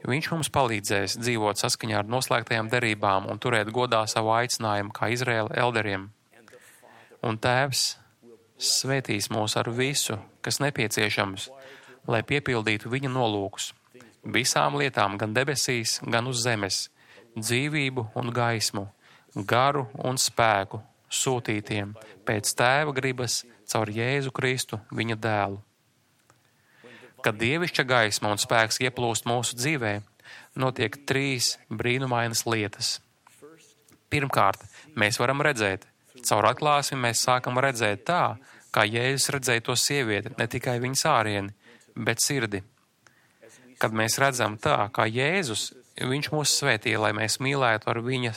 Viņš mums palīdzēs dzīvot saskaņā ar noslēgtajām derībām un turēt godā savu aicinājumu kā Izraēla elderiem. Un Tēvs svētīs mūs ar visu, kas nepieciešams, lai piepildītu viņa nolūkus, visām lietām gan debesīs, gan uz zemes, dzīvību un gaismu, garu un spēku sūtītiem pēc Tēva gribas caur Jēzu Kristu, viņa dēlu. Kad dievišķa gaisma un spēks ieplūst mūsu dzīvē, notiek trīs brīnumainas lietas. Pirmkārt, mēs varam redzēt. Caur atklāsmi mēs sākam redzēt tā, kā Jēzus redzēja to sievieti, ne tikai viņas ārieni, bet sirdi. Kad mēs redzam tā, kā Jēzus, viņš mūs svētīja, lai mēs mīlētu ar viņa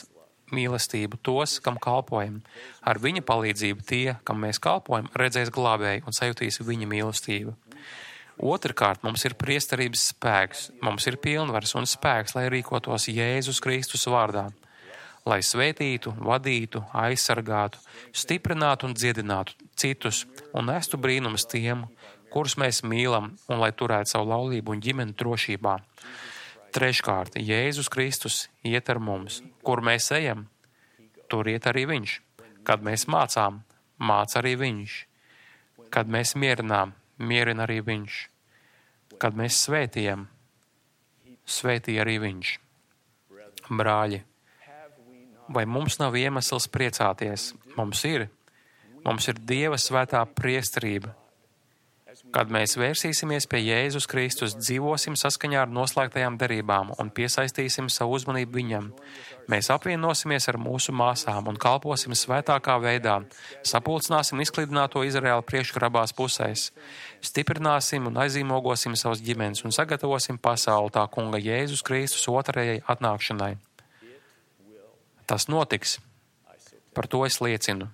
mīlestību tos, kam kalpojam. Ar viņa palīdzību tie, kam mēs kalpojam, redzēs glābēju un sajutīs viņa mīlestību. Otrkārt, mums ir priesterības spēks, mums ir pilnvars un spēks, lai rīkotos Jēzus Kristus vārdā, lai svētītu, vadītu, aizsargātu, stiprinātu un dziedinātu citus un nestu brīnumus tiem, kurus mēs mīlam, un lai turētu savu laulību un ģimeni drošībā. Treškārt, Jēzus Kristus iet ar mums. Kur mēs ejam, tur iet arī viņš. Kad mēs mācām, māca arī viņš. Kad mēs mierinām, mierina arī viņš. Kad mēs svētījam, svētīja arī viņš. Brāļi, vai mums nav iemesls priecāties? Mums ir. Mums ir Dieva svētā priesterība. Kad mēs vērsīsimies pie Jēzus Kristus, dzīvosim saskaņā ar noslēgtajām derībām un piesaistīsim savu uzmanību viņam. Mēs apvienosimies ar mūsu māsām un kalposim svētākā veidā, sapulcināsim izklidināto Izraēlu priekškrabās pusēs, stiprināsim un aizīmogosim savas ģimenes un sagatavosim pasauli tā kunga Jēzus Kristus otrajai atnākšanai. Tas notiks. Par to es liecinu.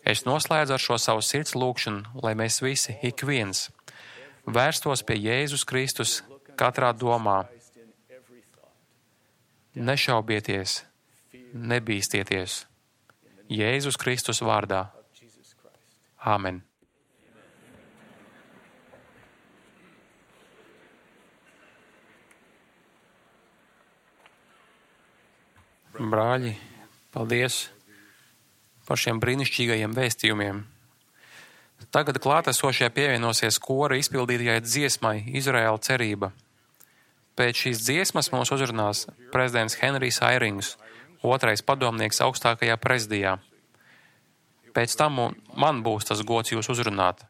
Es noslēdzu ar šo savu sirds lūgšanu, lai mēs visi, ik viens, vērstos pie Jēzus Kristus katrā domā. Nešaubieties, nebīstieties. Jēzus Kristus vārdā. Āmen. Brāļi, paldies par šiem brīnišķīgajiem vēstījumiem. Tagad klātesošie pievienosies kora izpildītajai dziesmai Izraēla cerība. Pēc šīs dziesmas mūs uzrunās prezidents Henrijs Airings, otrais padomnieks augstākajā prezidijā. Pēc tam man būs tas gods jūs uzrunāt.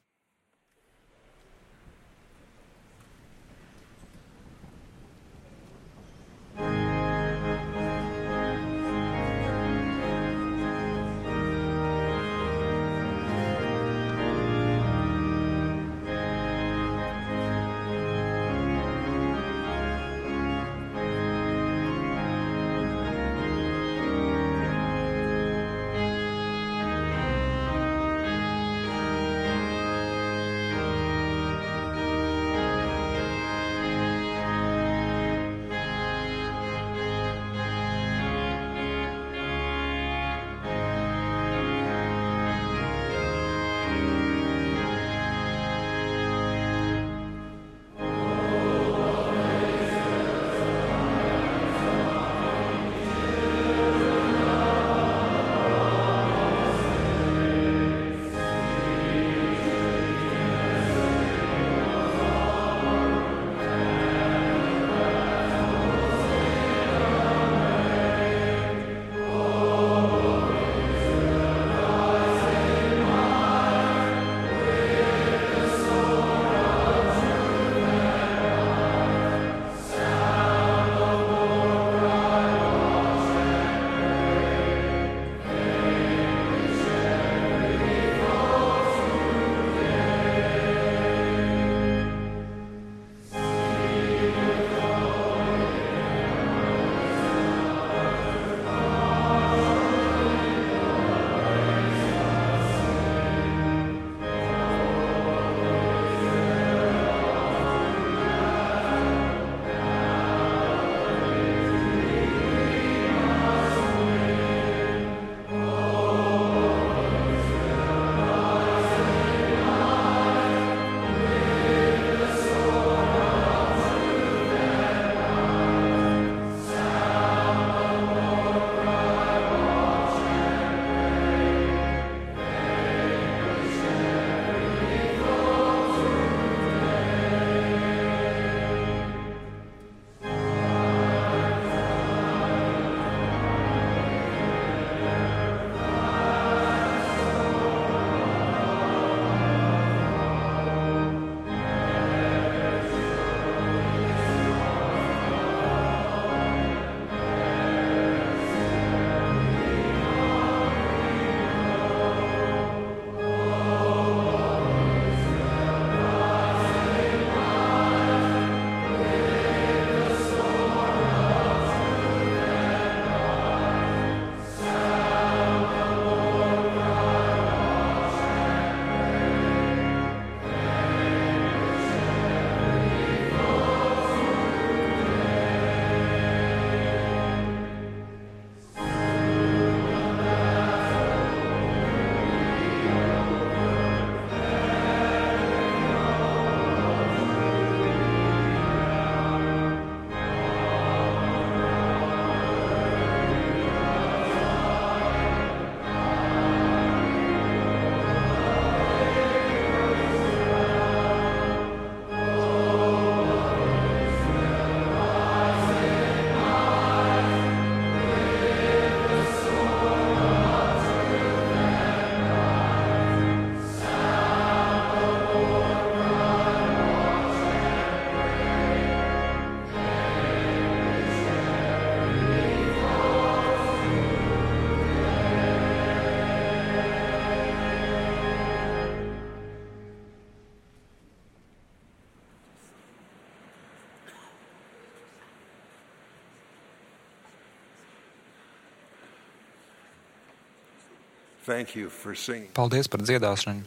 Paldies par dziedāšanu.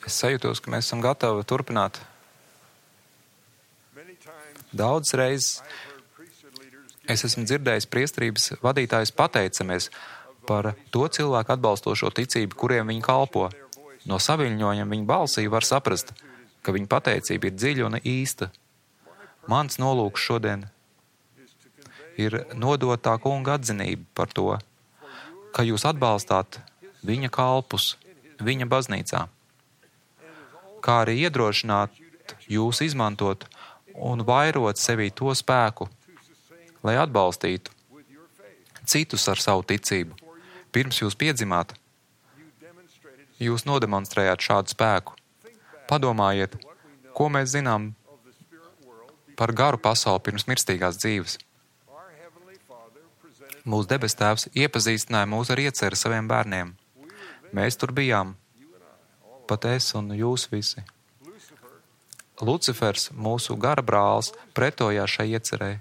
Es sajūtos, ka mēs esam gatavi turpināt. Daudz reizes es esmu dzirdējis priesterības vadītājus pateicamies par to cilvēku atbalstošo ticību, kuriem viņi kalpo. No saviļņojuma viņa balsī var saprast, ka viņa pateicība ir dziļa un īsta. Mans nolūks šodien ir nodot tā kunga atzinību par to, ka jūs atbalstāt viņa kalpus, viņa baznīcā, kā arī iedrošināt jūs izmantot un vairot sevī to spēku, lai atbalstītu citus ar savu ticību. Pirms jūs piedzimāt, jūs nodemonstrējāt šādu spēku. Padomājiet, ko mēs zinām par garu pasauli pirms mirstīgās dzīves. Mūsu debes tēvs iepazīstināja mūs ar ieceri saviem bērniem. Mēs tur bijām, pat es un jūs visi. Lucifers, mūsu gara brālis, pretojās šai iecerei,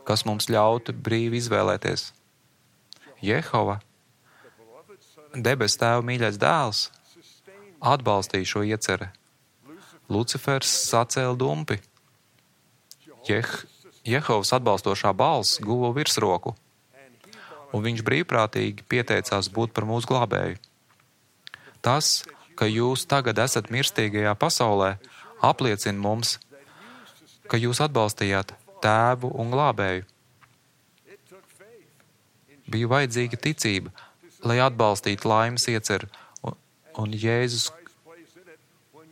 kas mums ļautu brīvi izvēlēties. Jehova, debes tēva mīļais dēls, atbalstīja šo ieceri. Lucifers sacēla dumpi. Jeh, Jehovas atbalstošā balss guva virsroku, un viņš brīvprātīgi pieteicās būt par mūsu glābēju. Tas, ka jūs tagad esat mirstīgajā pasaulē, apliecina mums, ka jūs atbalstījāt tēvu un glābēju. Bija vajadzīga ticība, lai atbalstītu laimes ieceru un, un Jēzus,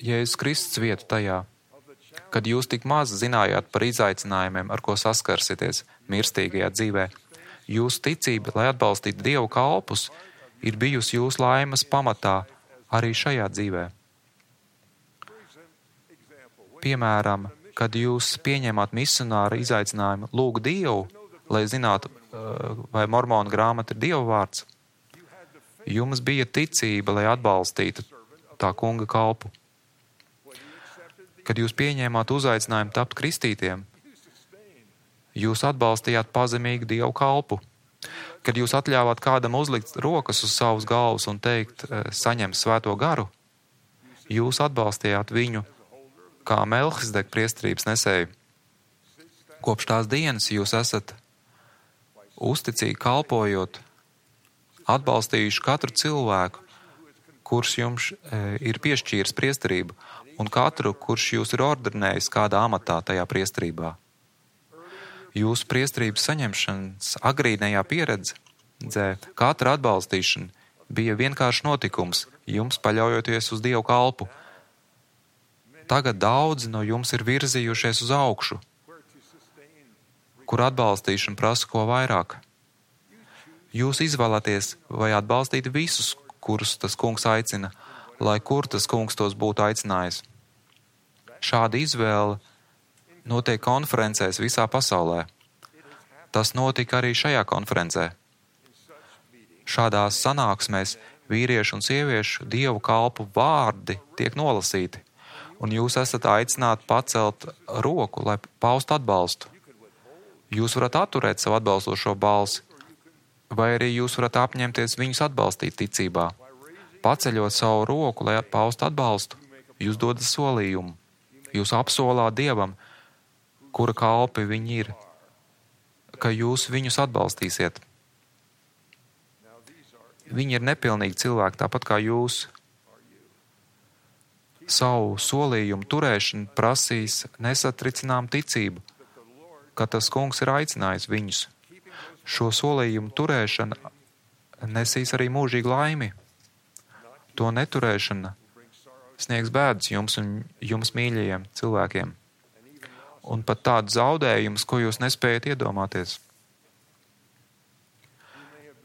Jēzus Kristus vietu tajā, kad jūs tik maz zinājāt par izaicinājumiem, ar ko saskarsieties mirstīgajā dzīvē. Jūsu ticība, lai atbalstītu Dievu kalpus, ir bijusi jūsu laimes pamatā arī šajā dzīvē. Piemēram, kad jūs pieņēmāt misionāra izaicinājumu lūgt Dievu, lai zinātu, vai mormonu grāmata ir Dieva vārds, jums bija ticība, lai atbalstītu tā kunga kalpu. Kad jūs pieņēmāt uzaicinājumu tapt kristītiem, jūs atbalstījāt pazemīgu Dievu kalpu. Kad jūs atļāvāt kādam uzlikt rokas uz savas galvas un teikt, saņem svēto garu, jūs atbalstījāt viņu kā Melhizedeka priesterības nesēju. Kopš tās dienas jūs esat uzticīgi kalpojot, atbalstījuši katru cilvēku, kurš jums ir piešķīris priesterību, un katru, kurš jūs ir ordinējis kādā amatā tajā priesterībā. Jūsu priesterības saņemšanas agrīnajā pieredzē katra atbalstīšana bija vienkārši notikums, jums paļaujoties uz Dievu kalpu. Tagad daudzi no jums ir virzījušies uz augšu, kur atbalstīšana prasa ko vairāk. Jūs izvēlaties vai atbalstīt visus, kurus tas kungs aicina, lai kur tas kungs tos būtu aicinājis. Šāda izvēle notiek konferencēs visā pasaulē. Tas notika arī šajā konferencē. Šādās sanāksmēs vīriešu un sieviešu Dievu kalpu vārdi tiek nolasīti, un jūs esat aicināti pacelt roku, lai paustu atbalstu. Jūs varat atturēt savu atbalstošo balsi, vai arī jūs varat apņemties viņus atbalstīt ticībā. Paceļot savu roku, lai paustu atbalstu, jūs dodat solījumu. Jūs apsolāt Dievam, kura kalpi viņi ir, ka jūs viņus atbalstīsiet. Viņi ir nepilnīgi cilvēki, tāpat kā jūs. Savu solījumu turēšanu prasīs nesatricinām ticību, ka tas kungs ir aicinājis viņus. Šo solījumu turēšana nesīs arī mūžīgu laimi. To neturēšana sniegs bēdas jums un jums mīļajiem cilvēkiem. Un pat tādu zaudējumus, ko jūs nespējat iedomāties.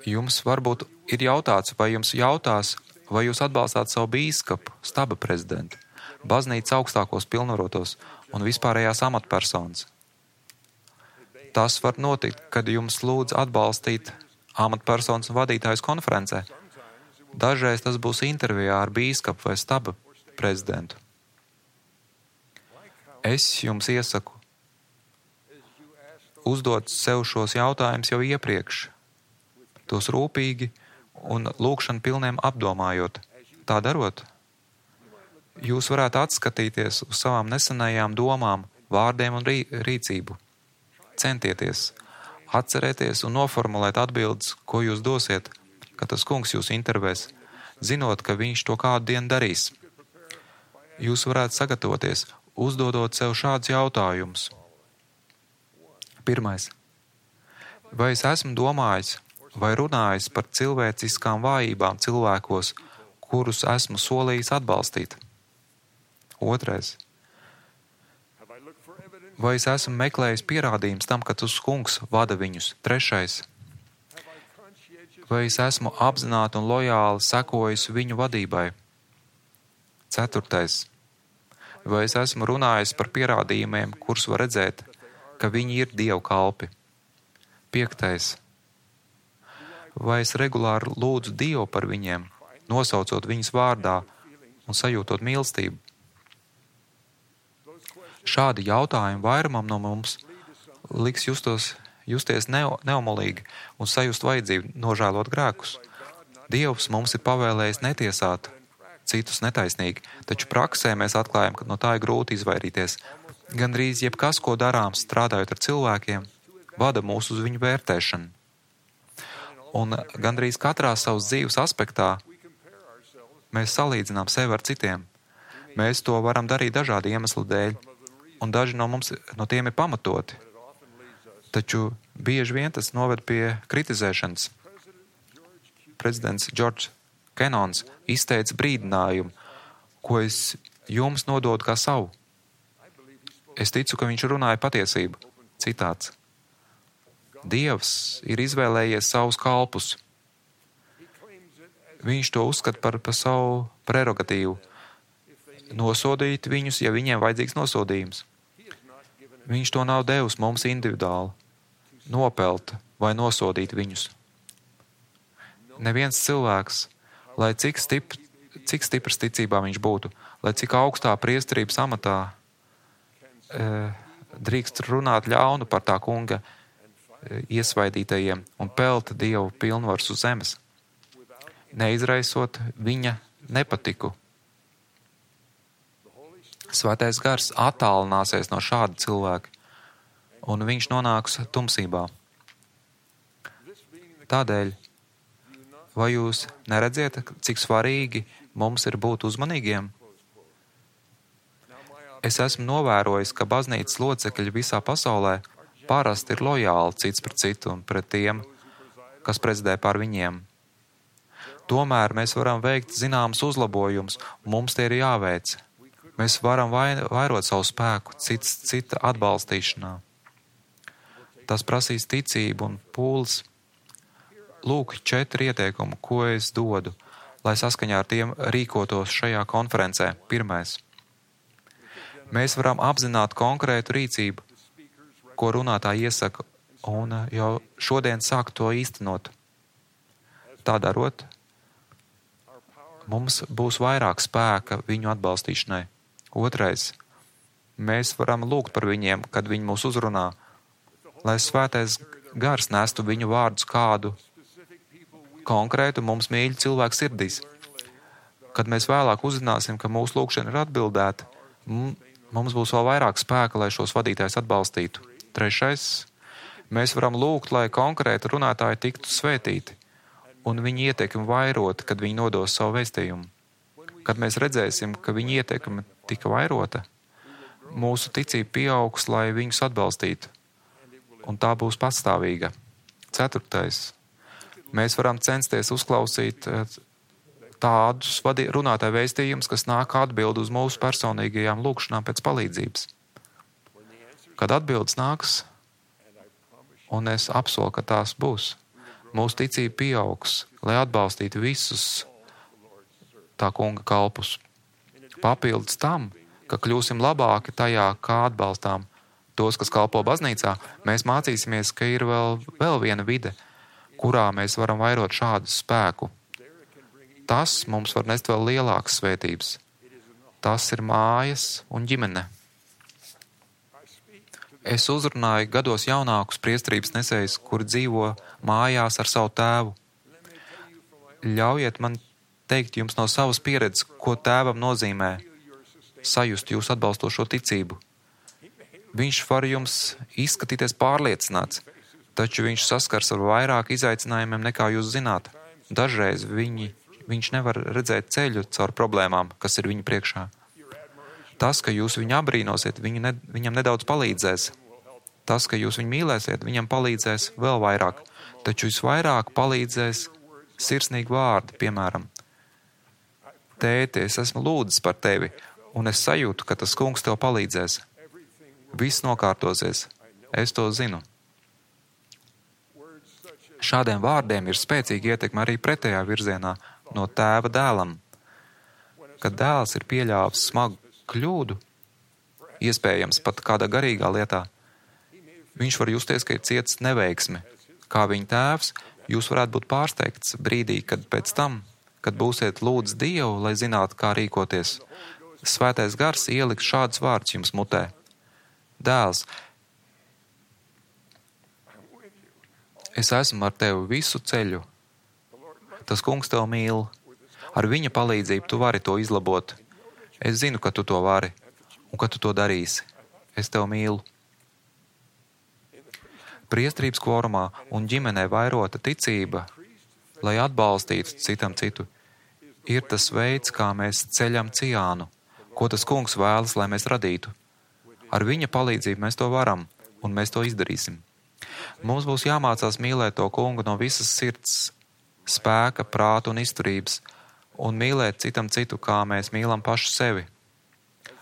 Jums varbūt ir jautāts, vai jums jautās, vai jūs atbalstāt savu bīskapu, staba prezidentu, baznīcas augstākos pilnvarotos un vispārējās amatpersonas. Tas var notikt, kad jums lūdz atbalstīt amatpersonas un vadītājus konferencē. Dažreiz tas būs intervijā ar bīskapu vai staba prezidentu. Es jums iesaku uzdot sev šos jautājumus jau iepriekš, tos rūpīgi un lūgšanu pilniem apdomājot. Tā darot, jūs varētu atskatīties uz savām nesenajām domām, vārdiem un rī, rīcību. Centieties, atcerēties un noformulēt atbildes, ko jūs dosiet, kad tas kungs jūs intervēs, zinot, ka viņš to kādu dienu darīs. Jūs varētu sagatavoties, uzdodot sev šādus jautājumus. Pirmais. Vai es esmu domājis vai runājis par cilvēciskām vājībām cilvēkos, kurus esmu solījis atbalstīt? Otrais. Vai es esmu meklējis pierādījums tam, ka tas kungs vada viņus? Trešais. Vai es esmu apzināti un lojāli sekojis viņu vadībai? Ceturtais. Vai es esmu runājis par pierādījumiem, kurus var redzēt, ka viņi ir Dievu kalpi? Piektais. Vai es regulāri lūdzu Dievu par viņiem, nosaucot viņus vārdā un sajūtot mīlestību? Šādi jautājumi vairumam no mums liks justos, justies neomolīgi un sajust vajadzību nožēlot grēkus. Dievs mums ir pavēlējis netiesāt citus netaisnīgi, taču praksē mēs atklājam, ka no tā ir grūti izvairīties. Gandrīz jebkas, ko darām strādājot ar cilvēkiem, vada mūs uz viņu vērtēšanu. Un gandrīz katrā savas dzīves aspektā mēs salīdzinām sevi ar citiem. Mēs to varam darīt dažādu iemeslu dēļ, un daži no mums no tiem ir pamatoti. Taču bieži vien tas noved pie kritizēšanas. Prezidents Džordžs Kenons izteica brīdinājumu, ko es jums nododu kā savu. Es ticu, ka viņš runāja patiesību. Citāts. Dievs ir izvēlējies savus kalpus. Viņš to uzskata par, par savu prerogatīvu. Nosodīt viņus, ja viņiem vajadzīgs nosodījums. Viņš to nav devis mums individuāli, nopelt vai nosodīt viņus. Neviens cilvēks, lai cik, stip, cik stiprs ticībā viņš būtu, lai cik augstā priesterības amatā, e, drīkst runāt ļaunu par tā kunga e, iesvaidītajiem un pelt Dievu pilnvars uz zemes, neizraisot viņa nepatiku. Svētais gars attālināsies no šāda cilvēka, un viņš nonāks tumsībā. Tādēļ, vai jūs neredziet, cik svarīgi mums ir būt uzmanīgiem? Es esmu novērojis, ka baznīcas locekļi visā pasaulē parasti ir lojāli cits pret citu un pret tiem, kas prezidē pār viņiem. Tomēr mēs varam veikt zināmas uzlabojumus, un mums tie ir jāveic. Mēs varam vairot savu spēku cits, cita atbalstīšanā. Tas prasīs ticību un pūles. Lūk, četri ieteikumi, ko es dodu, lai saskaņā ar tiem rīkotos šajā konferencē. Pirmais. Mēs varam apzināt konkrētu rīcību, ko runātāji iesaka, un jau šodien sāk to īstenot. Tā darot, mums būs vairāk spēka viņu atbalstīšanai. Otrais. Mēs varam lūgt par viņiem, kad viņi mūs uzrunā, lai svētais gars nestu viņu vārdus kādu konkrētu mums mīļu cilvēku sirdīs. Kad mēs vēlāk uzzināsim, ka mūsu lūgšana ir atbildēta, mums būs vēl vairāk spēka, lai šos vadītājus atbalstītu. Trešais. Mēs varam lūgt, lai konkrēti runātāji tiktu svētīti un viņu ieteikumi vairoti, kad viņi nodos savu vēstījumu. Kad mēs redzēsim, ka viņa ieteikumi tika vairota, mūsu ticība pieaugs, lai viņus atbalstītu, un tā būs pastāvīga. Ceturtais. Mēs varam censties uzklausīt tādus runātāju vēstījumus, kas nāk atbild uz mūsu personīgajām lūgšanām pēc palīdzības. Kad atbildes nāks, un es apsolu, ka tās būs, mūsu ticība pieaugs, lai atbalstītu visus tā kunga kalpus. Papildus tam, ka kļūsim labāki tajā, kā atbalstām tos, kas kalpo baznīcā, mēs mācīsimies, ka ir vēl, vēl viena vide, kurā mēs varam vairot šādu spēku. Tas mums var nest vēl lielākas svētības. Tas ir mājas un ģimene. Es uzrunāju gados jaunākus priesterības nesējus, kuri dzīvo mājās ar savu tēvu. Ļaujiet man teikt jums no savas pieredzes, ko tēvam nozīmē sajust jūsu atbalstošo ticību. Viņš var jums izskatīties pārliecināts, taču viņš saskars ar vairāk izaicinājumiem nekā jūs zināt. Dažreiz viņi, viņš nevar redzēt ceļu caur problēmām, kas ir viņa priekšā. Tas, ka jūs viņu abrīnosiet, viņu ne, viņam nedaudz palīdzēs. Tas, ka jūs viņu mīlēsiet, viņam palīdzēs vēl vairāk. Taču visvairāk palīdzēs sirsnīgi vārdi, piemēram: Tēti, es esmu lūdzis par tevi, un es sajūtu, ka tas kungs tev palīdzēs. Viss nokārtosies. Es to zinu. Šādiem vārdiem ir spēcīga ietekme arī pretējā virzienā no tēva dēlam. Kad dēls ir pieļāvis smagu kļūdu, iespējams pat kādā garīgā lietā, viņš var justies, ka ir cietis neveiksme. Kā viņa tēvs, jūs varētu būt pārsteigts brīdī, kad pēc tam, kad būsiet lūdz Dievu, lai zinātu, kā rīkoties, Svētais Gars ieliks šādus vārdus jums mutē: Dēls, es esmu ar tevi visu ceļu. Tas kungs tev mīl. Ar viņa palīdzību tu vari to izlabot. Es zinu, ka tu to vari un ka tu to darīsi. Es tev mīlu. Priestrības kvorumā un ģimenē vairota ticība, lai atbalstītu citam citu, ir tas veids, kā mēs ceļam ciānu, ko tas kungs vēlas, lai mēs radītu. Ar viņa palīdzību mēs to varam, un mēs to izdarīsim. Mums būs jāmācās mīlēt to kungu no visas sirds, spēka, prāta un izturības, un mīlēt citam citu, kā mēs mīlam pašu sevi.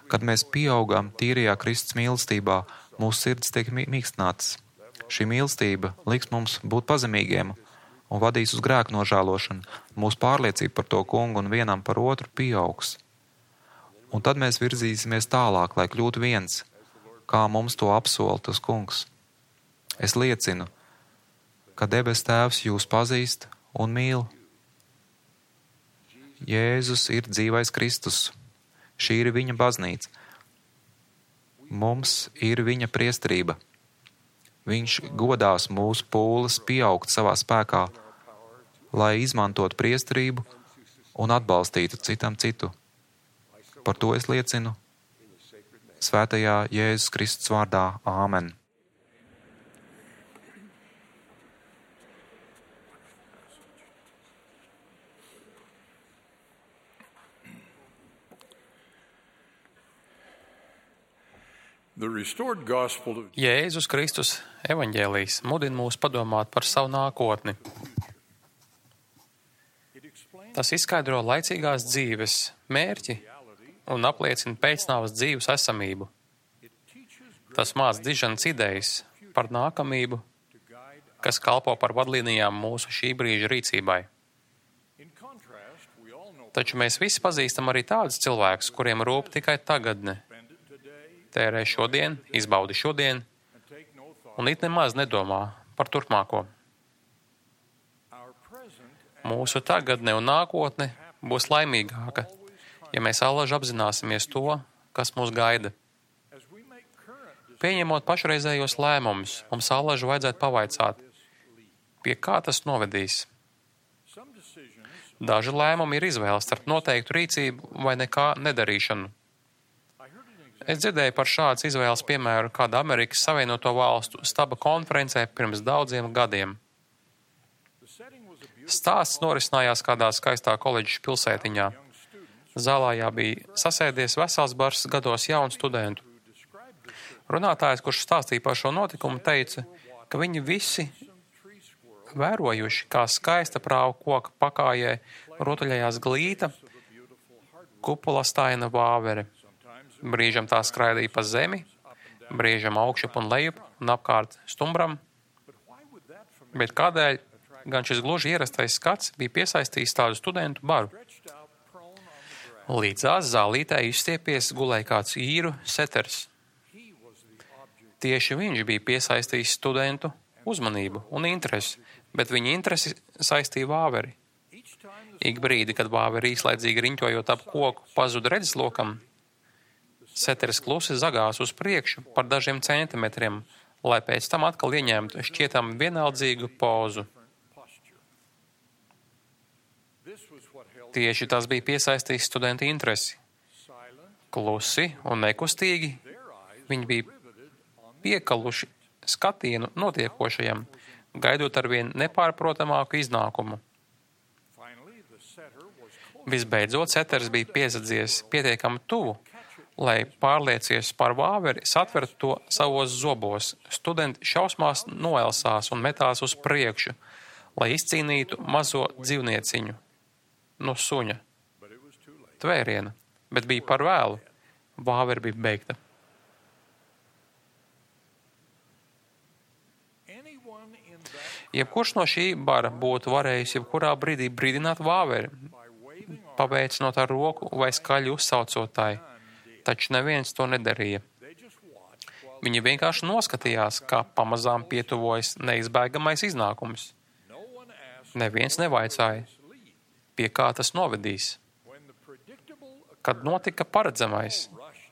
Kad mēs pieaugam tīrajā Kristus mīlestībā, mūsu sirds tiek mīkstinātas. Šī mīlestība liks mums būt pazemīgiem un vadīs uz grēku nožēlošanu. Mūsu pārliecība par to kungu un vienam par otru pieaugs. Un tad mēs virzīsimies tālāk, lai kļūtu viens, kā mums to apsola tas kungs. Es liecinu, ka debes Tēvs jūs pazīst un mīl. Jēzus ir dzīvais Kristus. Šī ir viņa baznīca. Mums ir viņa priesterība. Viņš godās mūsu pūles pieaugt savā spēkā, lai izmantotu priesterību un atbalstītu citam citu. Par to es liecinu svētajā Jēzus Kristus vārdā. Āmen. Jēzus Kristus evaņģēlijs mudina mūs padomāt par savu nākotni. Tas izskaidro laicīgās dzīves mērķi un apliecina pēcnāvas dzīves esamību. Tas māca diženas idejas par nākamību, kas kalpo par vadlīnijām mūsu šī brīža rīcībai. Taču mēs visi pazīstam arī tādus cilvēkus, kuriem rūp tikai tagadne. Tērē šodien, izbaudi šodien, un it nemaz nedomā par turpmāko. Mūsu tagadne un nākotne būs laimīgāka, ja mēs allaž apzināsimies to, kas mūs gaida. Pieņemot pašreizējos lēmumus, mums allaž vajadzētu pavaicāt, pie kā tas novedīs. Daži lēmumi ir izvēles starp noteiktu rīcību vai nekā nedarīšanu. Es dzirdēju par šādas izvēles piemēru kāda Amerikas Savienoto Valstu staba konferencē pirms daudziem gadiem. Stāsts norisinājās kādā skaistā koledžas pilsētiņā. Zālājā bija sasēdies vesels bars gados jaunu studentu. Runātājs, kurš stāstīja par šo notikumu, teica, ka viņi visi vērojuši, kā skaista prāvu koka pakājē rotaļējās glīta, kupolastaina vāvere. Brīžam tā skraidīja pa zemi, brīžam augšup un lejup un apkārt stumbram. Bet kādēļ gan šis gluži ierastais skats bija piesaistījis tādu studentu baru? Līdzās zālītē izstiepies gulēja kāds īru seters. Tieši viņš bija piesaistījis studentu uzmanību un interesi, bet viņa interesi saistīja vāveri. Ik brīdi, kad vāveri īslaicīgi riņķojot ap koku pazuda redzeslokam, seteris klusi zagās uz priekšu par dažiem centimetriem, lai pēc tam atkal ieņemtu šķietam vienaldzīgu pozu. Tieši tas bija piesaistījis studentu interesi. Klusi un nekustīgi viņi bija piekaluši skatienu notiekošajam, gaidot arvien nepārprotamāku iznākumu. Visbeidzot, seters bija piesadzies pietiekami tuvu, lai pārliecies par vāveri, satvertu to savos zobos. Studenti šausmās noelsās un metās uz priekšu, lai izcīnītu mazo dzīvnieciņu no suņa tvēriena, bet bija par vēlu. Vāveri bija beigta. Jebkurš no šī bara būtu varējis jebkurā brīdī brīdināt vāveri, paveicinot ar roku vai skaļi uzsaucot tai, taču neviens to nedarīja. Viņi vienkārši noskatījās, kā pamazām pietuvojas neizbēgamais iznākums. Neviens nevaicāja, pie kā tas novedīs. Kad notika paredzamais,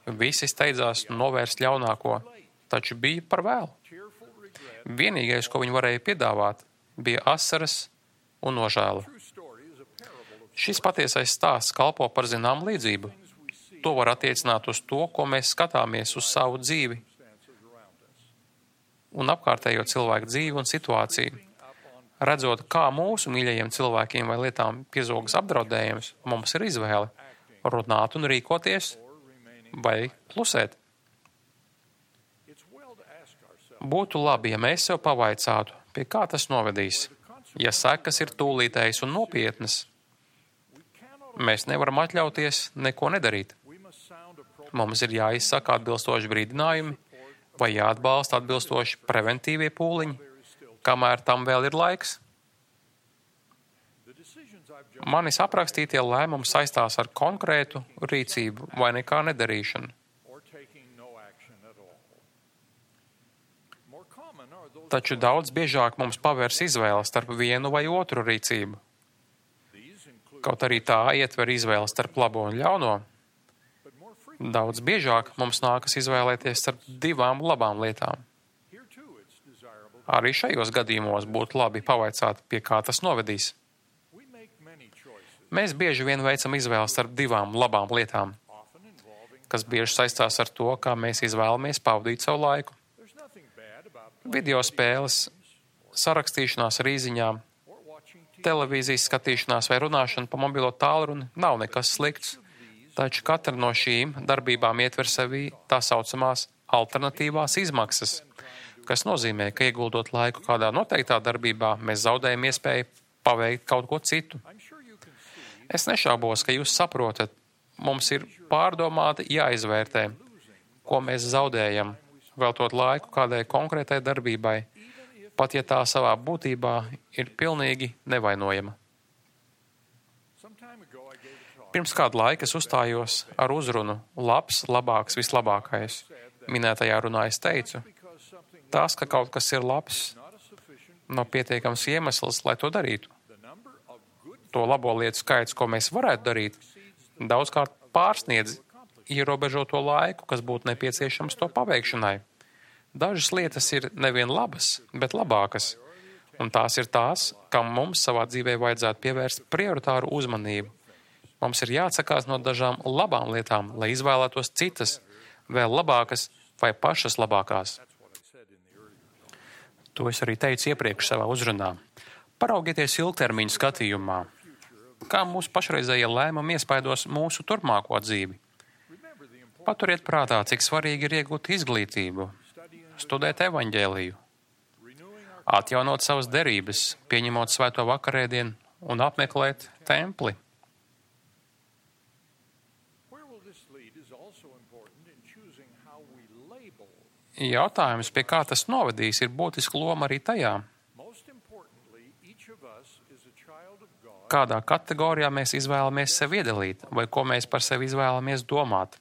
visi steidzās novērst ļaunāko, taču bija par vēlu. Vienīgais, ko viņi varēja piedāvāt, bija asaras un nožēla. Šis patiesais stāsts kalpo par zinām līdzību. To var attiecināt uz to, ko mēs skatāmies uz savu dzīvi un apkārtējo cilvēku dzīvi un situāciju. Redzot, kā mūsu mīļajiem cilvēkiem vai lietām piezogas apdraudējums, mums ir izvēle runāt un rīkoties vai klusēt. Būtu labi, ja mēs sev pavaicātu, pie kā tas novedīs. Ja sekas ir tūlītējas un nopietnas, mēs nevaram atļauties neko nedarīt. Mums ir jāizsaka atbilstoši brīdinājumi vai jāatbalsta atbilstoši preventīvie pūliņi, kamēr tam vēl ir laiks. Manis aprakstītie lēmumi saistās ar konkrētu rīcību vai nekā nedarīšanu. Taču daudz biežāk mums pavērs izvēle starp vienu vai otru rīcību. Kaut arī tā ietver izvēle starp labo un ļauno, daudz biežāk mums nākas izvēlēties starp divām labām lietām. Arī šajos gadījumos būtu labi pavaicāt, pie kā tas novedīs. Mēs bieži vien veicam izvēli starp divām labām lietām, kas bieži saistās ar to, kā mēs izvēlamies pavadīt savu laiku. Video spēles, sarakstīšanās ar īziņām, televīzijas skatīšanās vai runāšana pa mobilo tālruni nav nekas slikts, taču katra no šīm darbībām ietver sevī tā saucamās alternatīvās izmaksas, kas nozīmē, ka ieguldot laiku kādā noteiktā darbībā, mēs zaudējam iespēju paveikt kaut ko citu. Es nešaubos, ka jūs saprotat, mums ir pārdomāti jāizvērtē, ko mēs zaudējam, veltot laiku kādai konkrētai darbībai, pat ja tā savā būtībā ir pilnīgi nevainojama. Pirms kādu laiku es uzstājos ar uzrunu labs, labāks, vislabākais. Minētajā runā es teicu, tas, ka kaut kas ir labs, nav pietiekams iemesls, lai to darītu. To labo lietu skaits, ko mēs varētu darīt, daudzkārt pārsniedz ierobežoto laiku, kas būtu nepieciešams to paveikšanai. Dažas lietas ir nevien labas, bet labākas, un tās ir tās, kam mums savā dzīvē vajadzētu pievērst prioritāru uzmanību. Mums ir jāatsakās no dažām labām lietām, lai izvēlētos citas, vēl labākas vai pašas labākās. To es arī teicu iepriekš savā uzrunā. Paraugieties ilgtermiņu skatījumā. Kā mūsu pašreizējie lēmumi iespaidos mūsu turpmāko dzīvi? Paturiet prātā, cik svarīgi ir iegūt izglītību, studēt evaņģēliju, atjaunot savas derības, pieņemot svēto vakarēdienu un apmeklēt templi. Jautājums, pie kā tas novedīs, ir būtiska loma arī tajā, kādā kategorijā mēs izvēlamies sevi iedalīt vai ko mēs par sevi izvēlamies domāt.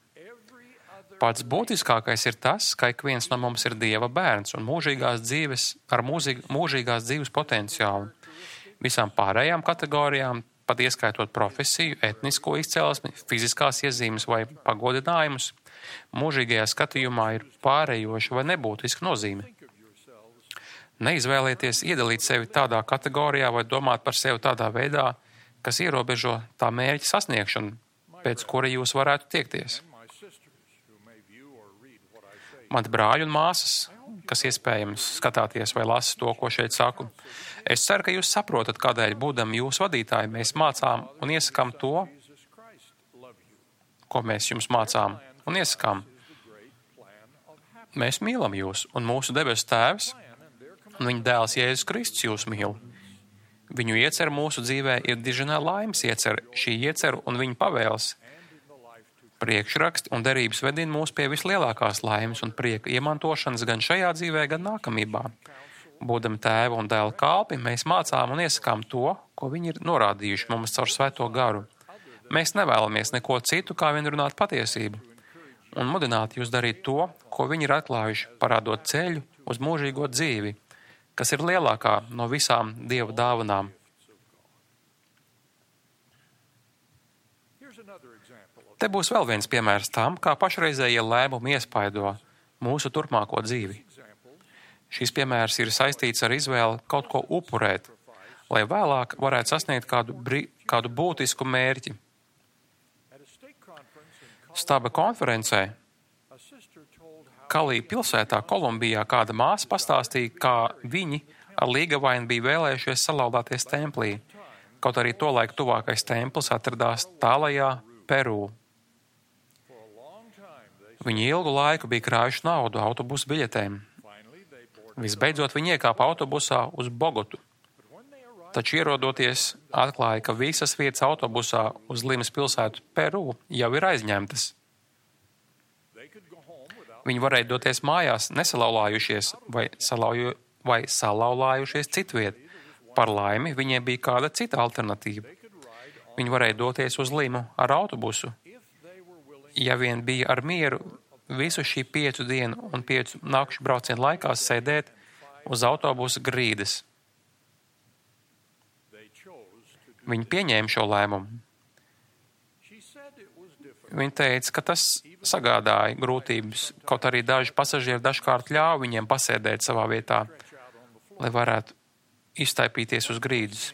Pats būtiskākais ir tas, ka ik viens no mums ir Dieva bērns un mūžīgās dzīves, ar mūžīg, mūžīgās dzīves potenciālu. Visām pārējām kategorijām, pat ieskaitot profesiju, etnisko izcelsmi, fiziskās iezīmes vai pagodinājumus, mūžīgajā skatījumā ir pārējoša vai nebūtiska nozīme. Neizvēlieties iedalīt sevi tādā kategorijā vai domāt par sevi tādā veidā, kas ierobežo tā mērķa sasniegšanu, pēc kura jūs varētu tiekties. Mani brāļi un māsas, kas iespējams skatāties vai lasa to, ko šeit saku. Es ceru, ka jūs saprotat, kādēļ, būdami jūsu vadītāji, mēs mācām un iesakām to, ko mēs jums mācām un iesakām. Mēs mīlam jūs, un mūsu debesu Tēvs un viņa dēls Jēzus Kristus jūs mīl. Viņu iecer mūsu dzīvē ir diženā laimes iecer, šī iecer un viņa pavēles. Priekšraksti un derības vedina mūs pie vislielākās laimes un prieka iemantošanas gan šajā dzīvē, gan nākamībā. Būdami tēva un dēla kalpi, mēs mācām un iesakām to, ko viņi ir norādījuši mums caur svēto garu. Mēs nevēlamies neko citu, kā vien runāt patiesību, un mudināt jūs darīt to, ko viņi ir atklājuši, parādot ceļu uz mūžīgo dzīvi, kas ir lielākā no visām Dieva dāvanām. Te būs vēl viens piemērs tam, kā pašreizējie lēmumi iespaido mūsu turpmāko dzīvi. Šis piemērs ir saistīts ar izvēli kaut ko upurēt, lai vēlāk varētu sasniegt kādu, brī, kādu būtisku mērķi. Staba konferencē Kalī pilsētā Kolumbijā kāda māsa pastāstīja, kā viņi ar līgavainu bija vēlējušies salauzties templī, kaut arī tolaik tuvākais templis atradās tālajā Peru. Viņi ilgu laiku bija krājuši naudu autobusu biļetēm. Visbeidzot, viņi iekāpa autobusā uz Bogotu. Taču ierodoties, atklāja, ka visas vietas autobusā uz Limas pilsētu Peru jau ir aizņemtas. Viņi varēja doties mājās nesalauzājušies vai, salauju, vai salauzājušies citviet. Par laimi, viņiem bija kāda cita alternatīva. Viņi varēja doties uz Limu ar autobusu, ja vien bija ar mieru visu šī piecu dienu un piecu nakšu braucienu laikā sēdēt uz autobusa grīdas. Viņi pieņēma šo lēmumu. Viņi teica, ka tas sagādāja grūtības, kaut arī daži pasažieri dažkārt ļāva viņiem pasēdēt savā vietā, lai varētu iztaipīties uz grīdas.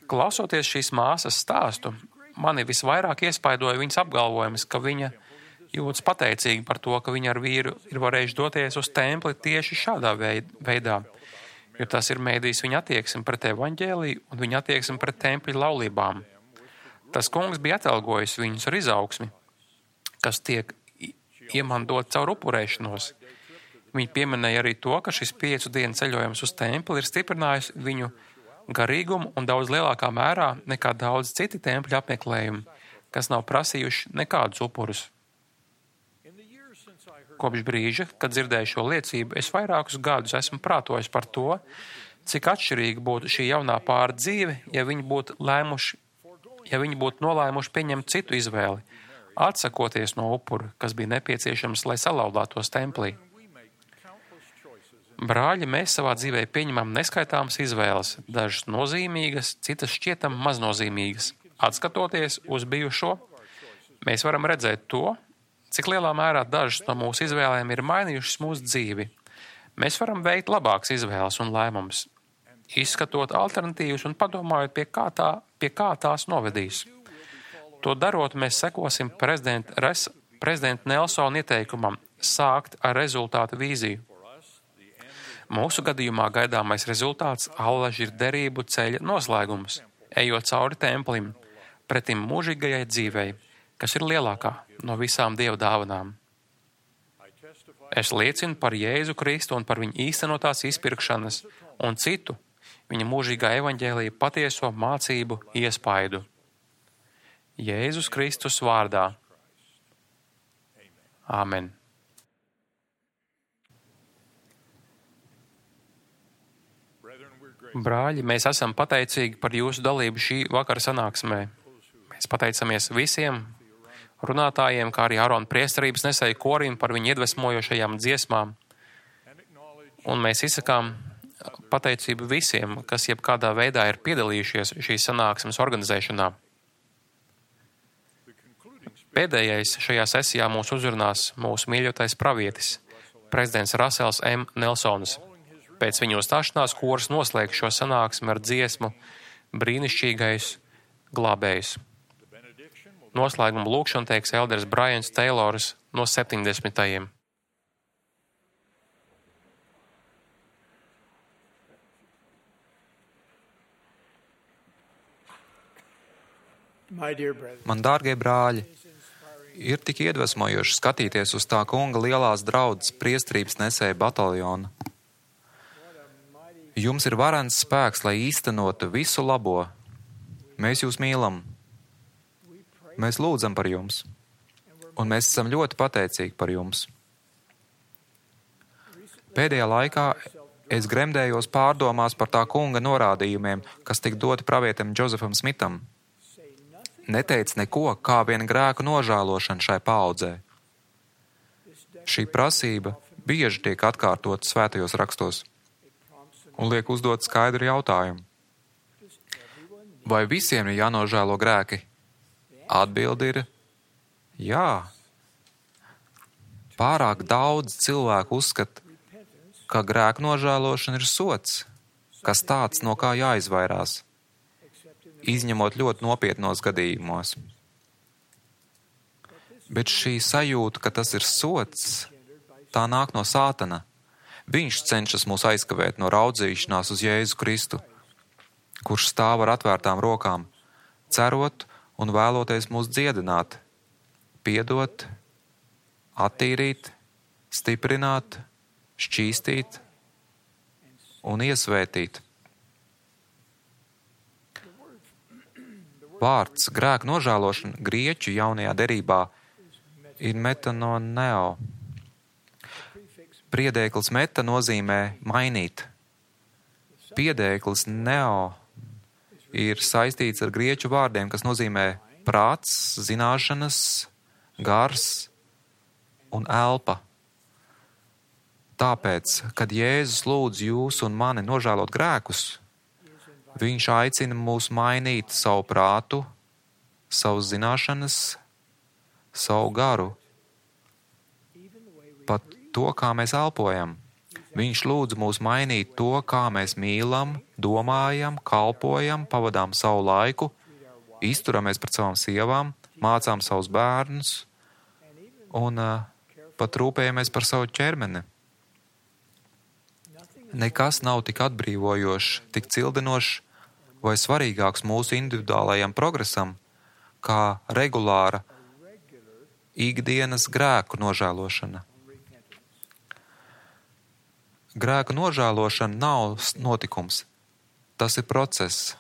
Klausoties šīs māsas stāstu, mani visvairāk iespaidoja viņas apgalvojums, ka viņa jūtas pateicīgi par to, ka viņa ar vīru ir varējuši doties uz templi tieši šādā veidā, jo tas ir mēdījis viņa attieksmi pret evaņģēliju un viņa attieksmi pret tempļa laulībām. Tas kungs bija atalgojis viņus ar izaugsmi, kas tiek iemantot caur upurēšanos. Viņi pieminēja arī to, ka šis piecu dienu ceļojums uz templi ir stiprinājis viņu garīgumu un daudz lielākā mērā nekā daudz citi tempļa apmeklējumi, kas nav prasījuši nekādus upurus. Kopš brīža, kad dzirdēju šo liecību, es vairākus gadus esmu prātojis par to, cik atšķirīga būtu šī jaunā pāra dzīve, ja viņi būtu lēmuši, ja viņi būtu nolēmuši pieņemt citu izvēli, atsakoties no upura, kas bija nepieciešams, lai salauztos templī. Brāļi, mēs savā dzīvē pieņemam neskaitāmas izvēles, dažas nozīmīgas, citas šķietam maznozīmīgas. Atskatoties uz bijušo, mēs varam redzēt to, cik lielā mērā dažas no mūsu izvēlēm ir mainījušas mūsu dzīvi. Mēs varam veikt labākas izvēles un lēmumus, izskatot alternatīvas un padomājot, pie kā, tā, pie kā tās novedīs. To darot, mēs sekosim prezidenta, res, prezidenta Nelsona ieteikumam sākt ar rezultātu vīziju. Mūsu gadījumā gaidāmais rezultāts allaži ir derību ceļa noslēgums, ejot cauri templim, pretim mūžīgajai dzīvei, kas ir lielākā no visām Dieva dāvanām. Es liecinu par Jēzu Kristu un par viņa īstenotās izpirkšanas un citu viņa mūžīgā evaņģēlija patieso mācību iespaidu. Jēzus Kristus vārdā. Āmen. Brāļi, mēs esam pateicīgi par jūsu dalību šī vakara sanāksmē. Mēs pateicamies visiem runātājiem, kā arī Ārona priesterības nesēju korim par viņu iedvesmojošajām dziesmām. Un mēs izsakām pateicību visiem, kas jebkādā veidā ir piedalījušies šīs sanāksmes organizēšanā. Pēdējais šajā sesijā mūs uzrunās mūsu mīļotais pravietis, prezidents Rasels M. Nelsons. Pēc viņa uzstāšanās koris noslēgs šo sanāksmi ar dziesmu brīnišķīgais glābējs. Noslēguma lūkšanu teiks elderis Brians Taylors no septiņdesmitajiem. Man dārgie brāļi, ir tik iedvesmojoši skatīties uz tā kunga lielās draudzes priestrības nesēja bataljonu. Jums ir varens spēks, lai īstenotu visu labo. Mēs jūs mīlam. Mēs lūdzam par jums. Un mēs esam ļoti pateicīgi par jums. Pēdējā laikā es gremdējos pārdomās par tā kunga norādījumiem, kas tika doti pravietim Džozefam Smitam. Neteic neko, kā vien grēku nožēlošana šai paaudzē. Šī prasība bieži tiek atkārtota svētajos rakstos un liek uzdot skaidru jautājumu. Vai visiem ir jānožēlo grēki? Atbilde ir jā. Pārāk daudz cilvēku uzskata, ka grēku nožēlošana ir sots, kas tāds, no kā jāizvairās, izņemot ļoti nopietnos gadījumos. Bet šī sajūta, ka tas ir sots, tā nāk no Sātana. Viņš cenšas mūs aizkavēt no raudzīšanās uz Jēzu Kristu, kurš stāv ar atvērtām rokām, cerot un vēloties mūs dziedināt, piedot, attīrīt, stiprināt, šķīstīt un iesvētīt. Vārds grēku nožēlošana grieķu jaunajā derībā ir metanoneo. Priedēklis meta nozīmē mainīt. Piedēklis neo ir saistīts ar grieķu vārdiem, kas nozīmē prāts, zināšanas, gars un elpa. Tāpēc, kad Jēzus lūdz jūs un mani nožēlot grēkus, viņš aicina mūs mainīt savu prātu, savas zināšanas, savu garu, pat to, kā mēs elpojam. Viņš lūdz mūs mainīt to, kā mēs mīlam, domājam, kalpojam, pavadām savu laiku, izturamies pret savām sievām, mācām savus bērnus un uh, pat rūpējamies par savu ķermeni. Nekas nav tik atbrīvojošs, tik cildinošs vai svarīgāks mūsu individuālajam progresam, kā regulāra ikdienas grēku nožēlošana. Grēku nožēlošana nav notikums, tas ir process.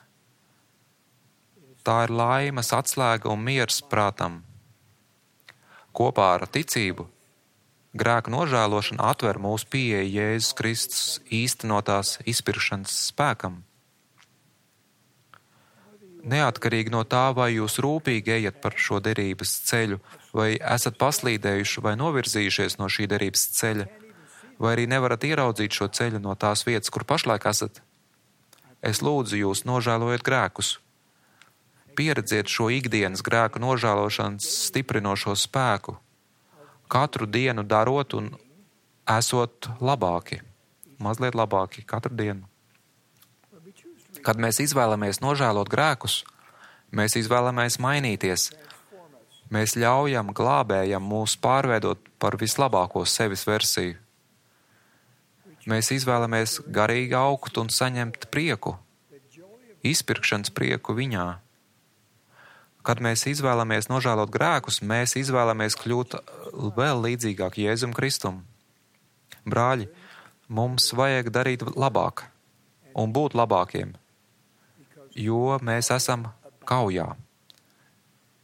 Tā ir laimes atslēga un miers prātam. Kopā ar ticību grēku nožēlošana atver mūsu pieeju Jēzus Kristus īstenotās izpirkšanas spēkam. Neatkarīgi no tā, vai jūs rūpīgi ejat par šo derības ceļu, vai esat paslīdējuši vai novirzījušies no šī derības ceļa, vai arī nevarat ieraudzīt šo ceļu no tās vietas, kur pašlaik esat, es lūdzu jūs nožēlojiet grēkus. Pieredziet šo ikdienas grēku nožēlošanas stiprinošo spēku, katru dienu darot un esot labāki, mazliet labāki katru dienu. Kad mēs izvēlamies nožēlot grēkus, mēs izvēlamies mainīties. Mēs ļaujam glābējam mūs pārveidot par vislabāko sevis versiju. Mēs izvēlamies garīgi augt un saņemt prieku, izpirkšanas prieku viņā. Kad mēs izvēlamies nožēlot grēkus, mēs izvēlamies kļūt vēl līdzīgāk Jēzum Kristum. Brāļi, mums vajag darīt labāk un būt labākiem, jo mēs esam kaujā.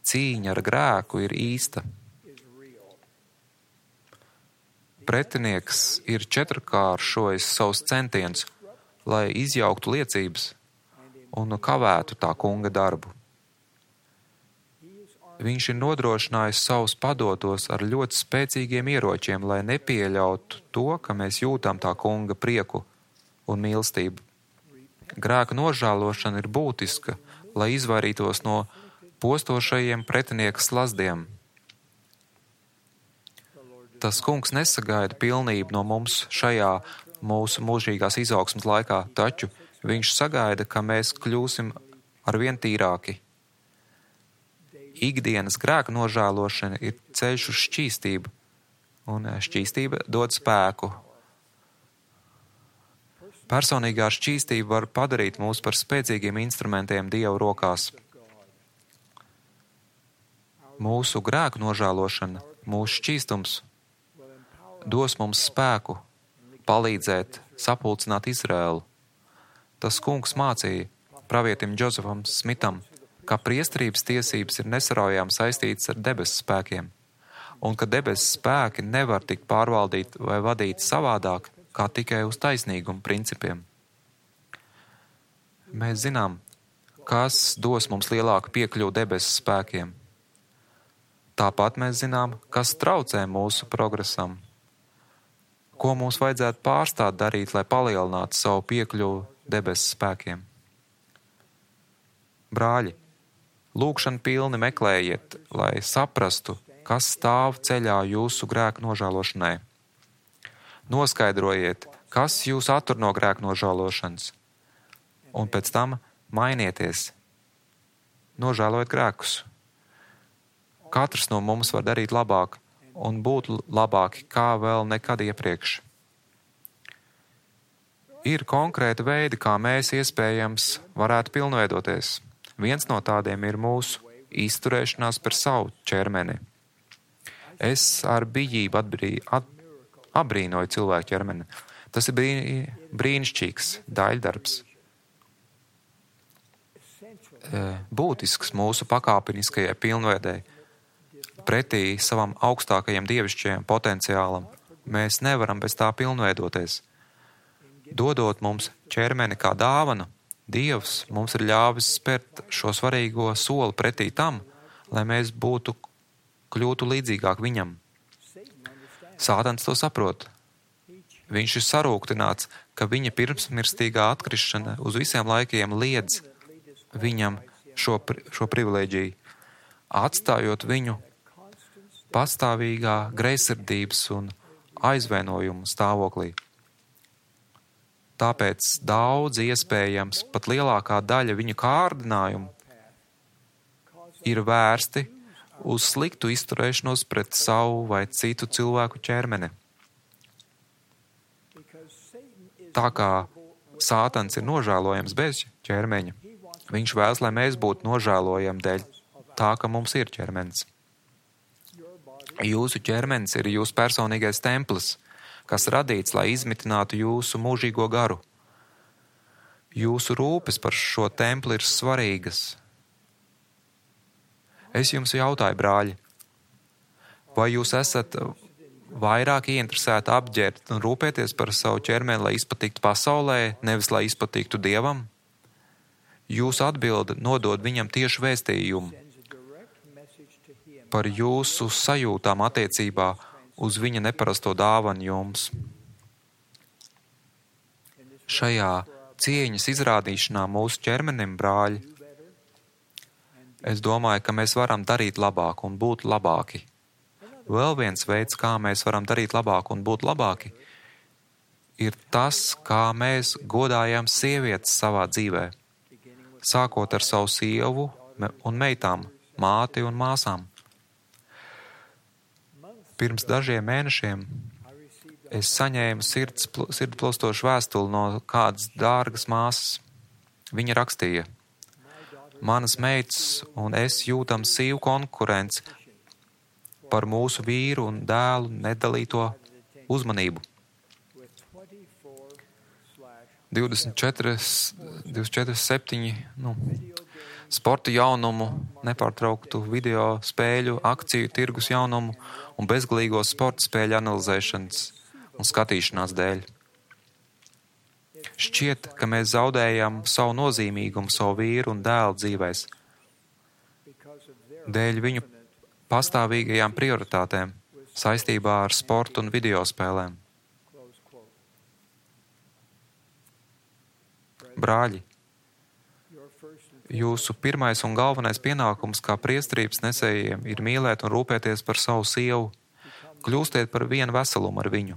Cīņa ar grēku ir īsta. Pretinieks ir četrkāršojis savus centienus, lai izjauktu liecības un kavētu tā kunga darbu. Viņš ir nodrošinājis savus padotos ar ļoti spēcīgiem ieročiem, lai nepieļautu to, ka mēs jūtam tā kunga prieku un mīlestību. Grēka nožēlošana ir būtiska, lai izvairītos no postošajiem pretinieka slazdiem. Tas kungs nesagaida pilnību no mums šajā mūsu mūžīgās izaugsmes laikā, taču viņš sagaida, ka mēs kļūsim arvien tīrāki. Ikdienas grēka nožēlošana ir ceļš uz šķīstību, un šķīstība dod spēku. Personīgā šķīstība var padarīt mūs par spēcīgiem instrumentiem Dieva rokās. Mūsu grēku nožēlošana, mūsu šķīstums dos mums spēku palīdzēt sapulcināt Izraēlu. Tas kungs mācīja pravietim Džozefam Smitam, ka priesterības tiesības ir nesaraujām saistītas ar debesu spēkiem, un ka debesu spēki nevar tikt pārvaldīti vai vadīti savādāk, kā tikai uz taisnīgumu principiem. Mēs zinām, kas dos mums lielāku piekļuvu debesu spēkiem. Tāpat mēs zinām, kas traucē mūsu progresam. Ko mums vajadzētu pārstāt darīt, lai palielinātu savu piekļuvu debesu spēkiem. Brāļi, lūgšanu pilni meklējiet, lai saprastu, kas stāv ceļā jūsu grēku nožēlošanai. Noskaidrojiet, kas jūs attur no grēku nožēlošanas, un pēc tam mainieties. Nožēlojiet grēkus. Katrs no mums var darīt labāk un būt labāki kā vēl nekad iepriekš. Ir konkrēti veidi, kā mēs iespējams varētu pilnveidoties. Viens no tādiem ir mūsu izturēšanās par savu ķermeni. Es ar bijību atbrī, at, abrīnoju cilvēku ķermeni. Tas ir brī, brīnišķīgs daļdarbs. Būtisks mūsu pakāpeniskajai pilnveidei. Pretī savam augstākajam dievišķajam potenciālam mēs nevaram bez tā pilnveidoties. Dodot mums ķermeni kā dāvanu, Dievs mums ir ļāvis spērt šo svarīgo soli pretī tam, lai mēs būtu kļūtu līdzīgāk viņam. Sātans to saprot. Viņš ir sarūktināts, ka viņa pirmsmirstīgā atkrišana uz visiem laikiem liedz viņam šo, šo privilēģiju, atstājot viņu pastāvīgā greizsirdības un aizvainojuma stāvoklī. Tāpēc daudz iespējams, pat lielākā daļa viņa kārdinājumu ir vērsti uz sliktu izturēšanos pret savu vai citu cilvēku ķermeni. Tā kā Sātans ir nožēlojams bez ķermeņa, viņš vēlas, lai mēs būtu nožēlojami dēļ tā, ka mums ir ķermenis. Jūsu ķermenis ir jūsu personīgais templis, kas radīts, lai izmitinātu jūsu mūžīgo garu. Jūsu rūpes par šo templi ir svarīgas. Es jums jautāju, brāļi, vai jūs esat vairāk ieinteresēti apģērbt un rūpēties par savu ķermeni, lai izpatiktu pasaulē, nevis lai izpatiktu Dievam? Jūsu atbilde nodod viņam tieši vēstījumu par jūsu sajūtām attiecībā uz viņa neparasto dāvanu jums. Šajā cieņas izrādīšanā mūsu ķermenim, brāļi, es domāju, ka mēs varam darīt labāk un būt labāki. Vēl viens veids, kā mēs varam darīt labāk un būt labāki, ir tas, kā mēs godājam sievietes savā dzīvē, sākot ar savu sievu un meitām, māti un māsām. Pirms dažiem mēnešiem es saņēmu sirds, sirdplostošu vēstuli no kādas dārgas māsas. Viņa rakstīja: manas meitas un es jūtam sīvu konkurenci par mūsu vīru un dēlu nedalīto uzmanību. divdesmit četri, divdesmit četri septiņi, nu, sporta jaunumu, nepārtrauktu video spēļu, akciju, tirgus jaunumu un bezgalīgo sporta spēļu analizēšanas un skatīšanās dēļ. Šķiet, ka mēs zaudējam savu nozīmīgumu savu vīru un dēlu dzīvēs dēļ viņu pastāvīgajām prioritātēm saistībā ar sportu un video spēlēm. Brāļi, jūsu pirmais un galvenais pienākums kā priesterības nesējiem ir mīlēt un rūpēties par savu sievu. Kļūstiet par vienu veselumu ar viņu.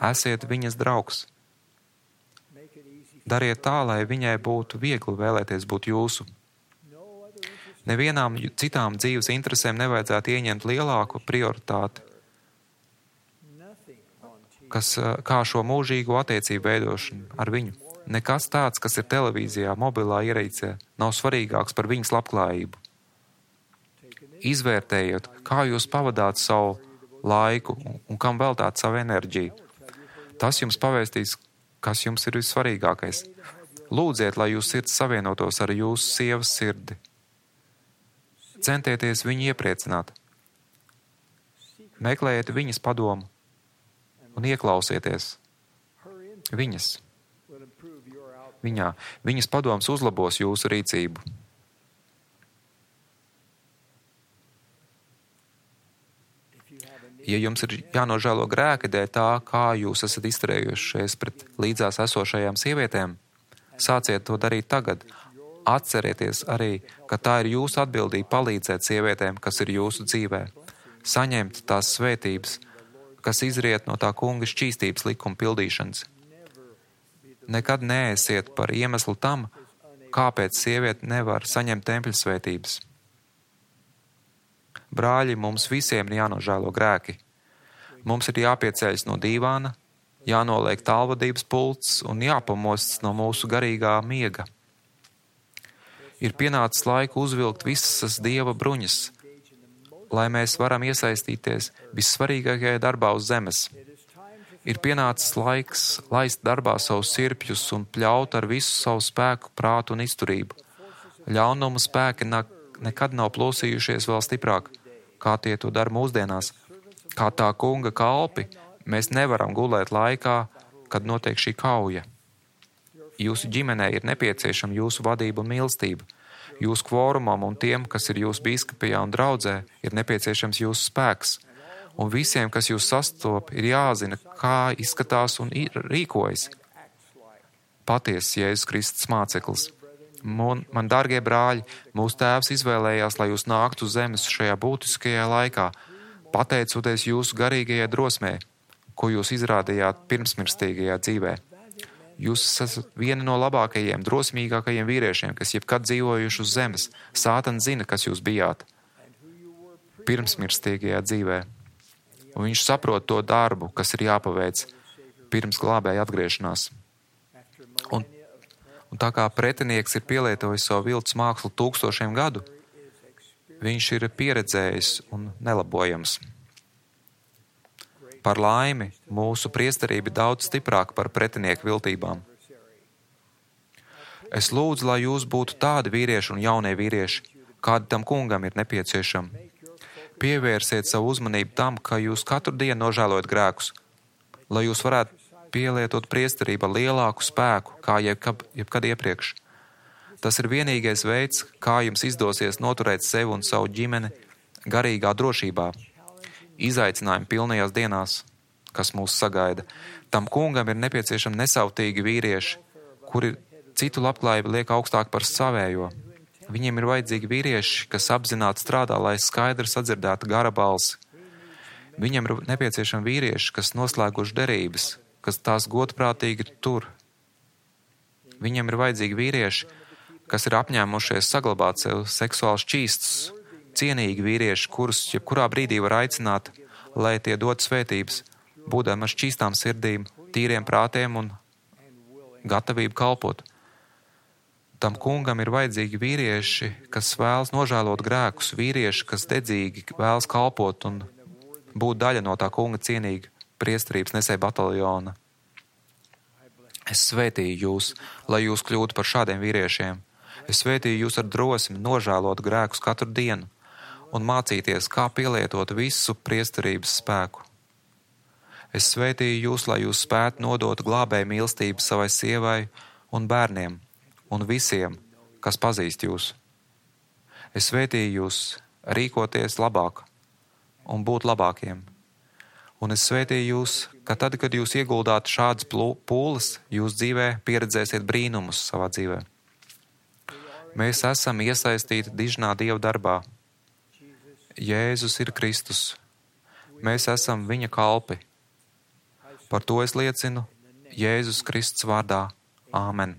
Esiet viņas draugs. Dariet tā, lai viņai būtu viegli vēlēties būt jūsu. Nevienām citām dzīves interesēm nevajadzētu ieņemt lielāku prioritāti, kas, kā šo mūžīgo attiecību veidošanu ar viņu. Nekas tāds, kas ir televīzijā, mobilā ierīcē, nav svarīgāks par viņas labklājību. Izvērtējiet, kā jūs pavadāt savu laiku un kam veltāt savu enerģiju. Tas jums pavēstīs, kas jums ir vissvarīgākais. Lūdziet, lai jūs sirds savienotos ar jūsu sievas sirdi. Centieties viņu iepriecināt. Meklējiet viņas padomu un ieklausieties viņas. Viņā. Viņas padoms uzlabos jūsu rīcību. Ja jums ir jānožēlo grēki dēļ tā, kā jūs esat izturējušies pret līdzās esošajām sievietēm, sāciet to darīt tagad. Atcerieties arī, ka tā ir jūsu atbildība palīdzēt sievietēm, kas ir jūsu dzīvē, saņemt tās svētības, kas izriet no tā kunga šķīstības likuma pildīšanas. Nekad neesiet par iemeslu tam, kāpēc sieviete nevar saņemt tempļa svētības. Brāļi, mums visiem ir jānožēlo grēki. Mums ir jāpieceļas no dīvāna, jānoliek tālvadības pults un jāpamosts no mūsu garīgā miega. Ir pienācis laika uzvilkt visas Dieva bruņas, lai mēs varam iesaistīties vissvarīgākajā darbā uz zemes. Ir pienācis laiks laist darbā savus sirpjus un pļaut ar visu savu spēku, prātu un izturību. Ļaunumu spēki nekad nav plosījušies vēl stiprāk, kā tie to dara mūsdienās. Kā tā kunga kalpi, mēs nevaram gulēt laikā, kad notiek šī kauja. Jūsu ģimenei ir nepieciešama jūsu vadība un mīlestība. Jūsu kvorumam un tiem, kas ir jūsu bīskapijā un draudzē, ir nepieciešams jūsu spēks. Un visiem, kas jūs sastop, ir jāzina, kā izskatās un rīkojas patiesas Jēzus Kristus māceklis. Man, man dārgie brāļi, mūsu tēvs izvēlējās, lai jūs nāktu uz zemes šajā būtiskajā laikā, pateicoties jūsu garīgajai drosmē, ko jūs izrādījāt pirmsmirstīgajā dzīvē. Jūs esat vieni no labākajiem, drosmīgākajiem vīriešiem, kas jebkad dzīvojuši uz zemes. Sātans zina, kas jūs bijāt pirmsmirstīgajā dzīvē. Un viņš saprot to darbu, kas ir jāpaveic pirms glābēja atgriešanās. Un, un tā kā pretinieks ir pielietojis savu viltus mākslu tūkstošiem gadu, viņš ir pieredzējis un nelabojams. Par laimi, mūsu priesterība ir daudz stiprāka par pretinieku viltībām. Es lūdzu, lai jūs būtu tādi vīrieši un jaunie vīrieši, kādi tam kungam ir nepieciešami. Pievērsiet savu uzmanību tam, ka jūs katru dienu nožēlojat grēkus, lai jūs varētu pielietot priesterību ar lielāku spēku, kā jebkad, jebkad iepriekš. Tas ir vienīgais veids, kā jums izdosies noturēt sevi un savu ģimeni garīgā drošībā, izaicinājumi pilnajās dienās, kas mūs sagaida. Tam kungam ir nepieciešami nesautīgi vīrieši, kuri citu labklājību liek augstāk par savējo. Viņiem ir vajadzīgi vīrieši, kas apzināti strādā, lai skaidri sadzirdētu gara balsi. Viņiem ir nepieciešami vīrieši, kas noslēguši derības, kas tās godprātīgi tur. Viņiem ir vajadzīgi vīrieši, kas ir apņēmušies saglabāt sev seksuāli šķīstus, cienīgi vīrieši, kurus jebkurā brīdī var aicināt, lai tie dod svētības, būdami ar šķīstām sirdīm, tīriem prātiem un gatavību kalpot. Tam kungam ir vajadzīgi vīrieši, kas vēlas nožēlot grēkus, vīrieši, kas dedzīgi vēlas kalpot un būt daļa no tā kunga cienīga priesterības nesēja bataljona. Es svētīju jūs, lai jūs kļūtu par šādiem vīriešiem. Es svētīju jūs ar drosmi nožēlot grēkus katru dienu un mācīties, kā pielietot visu priesterības spēku. Es svētīju jūs, lai jūs spētu nodot glābēju mīlestību savai sievai un bērniem un visiem, kas pazīst jūs. Es svētīju jūs rīkoties labāk un būt labākiem. Un es svētīju jūs, ka tad, kad jūs ieguldāt šādas pūles, jūs dzīvē pieredzēsiet brīnumus savā dzīvē. Mēs esam iesaistīti dižnā Dieva darbā. Jēzus ir Kristus. Mēs esam viņa kalpi. Par to es liecinu Jēzus Kristus vārdā. Āmen.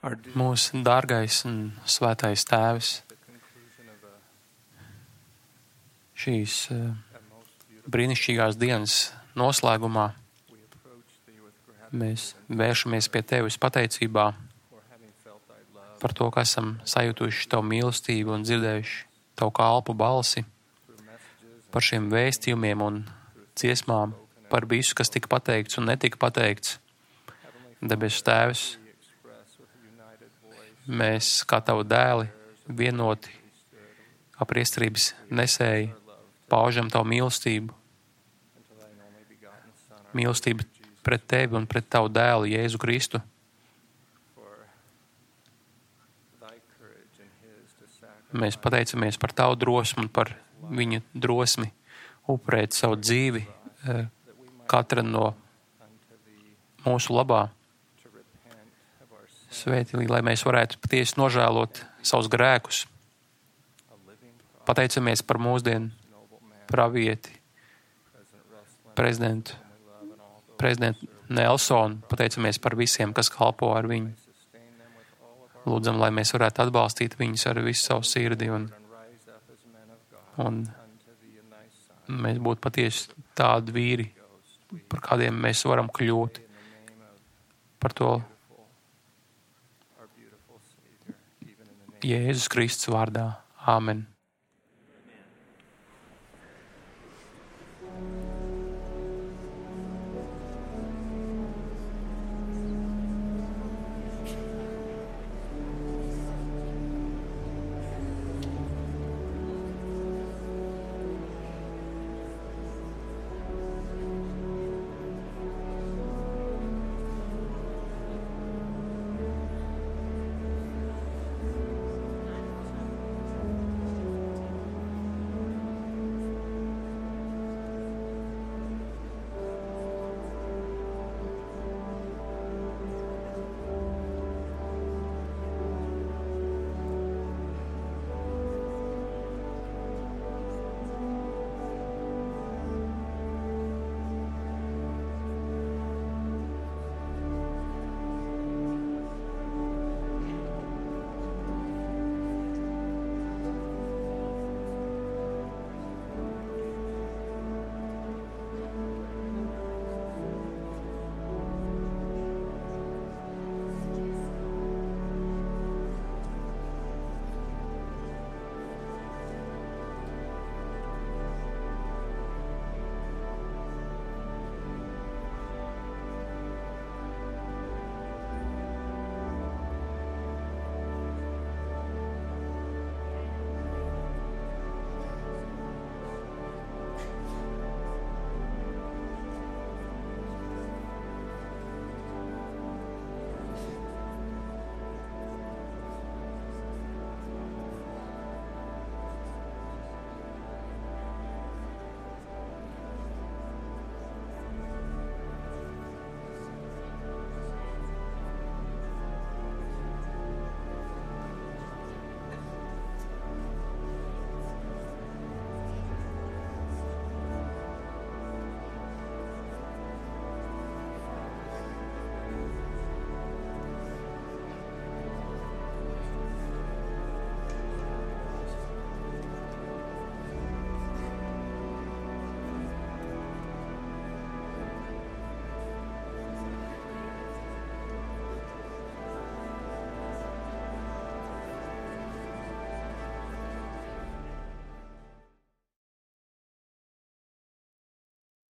Mūsu dārgais un svētais Tēvs, šīs brīnišķīgās dienas noslēgumā mēs vēršamies pie Tevis pateicībā par to, ka esam sajūtuši Tavu mīlestību un dzirdējuši Tavu kalpu balsi, par šiem vēstījumiem un dziesmām, par visu, kas tika pateikts un netika pateikts. Debesu Tēvs, mēs kā Tavu dēli vienoti kā priesterības nesēji paužam Tavu mīlestību. Mīlestību pret Tevi un pret Tavu dēlu Jēzu Kristu. Mēs pateicamies par Tavu drosmi un par viņa drosmi upurēt savu dzīvi katra no mūsu labā. Svētī, lai mēs varētu patiesi nožēlot savus grēkus. Pateicamies par mūsdienu pravieti, prezidentu, prezidentu Nelsonu. Pateicamies par visiem, kas kalpo ar viņu. Lūdzam, lai mēs varētu atbalstīt viņus ar visu savu sirdi un, un mēs būtu patiesi tādi vīri, par kādiem mēs varam kļūt. Par to Jēzus Kristus vārdā. Āmen.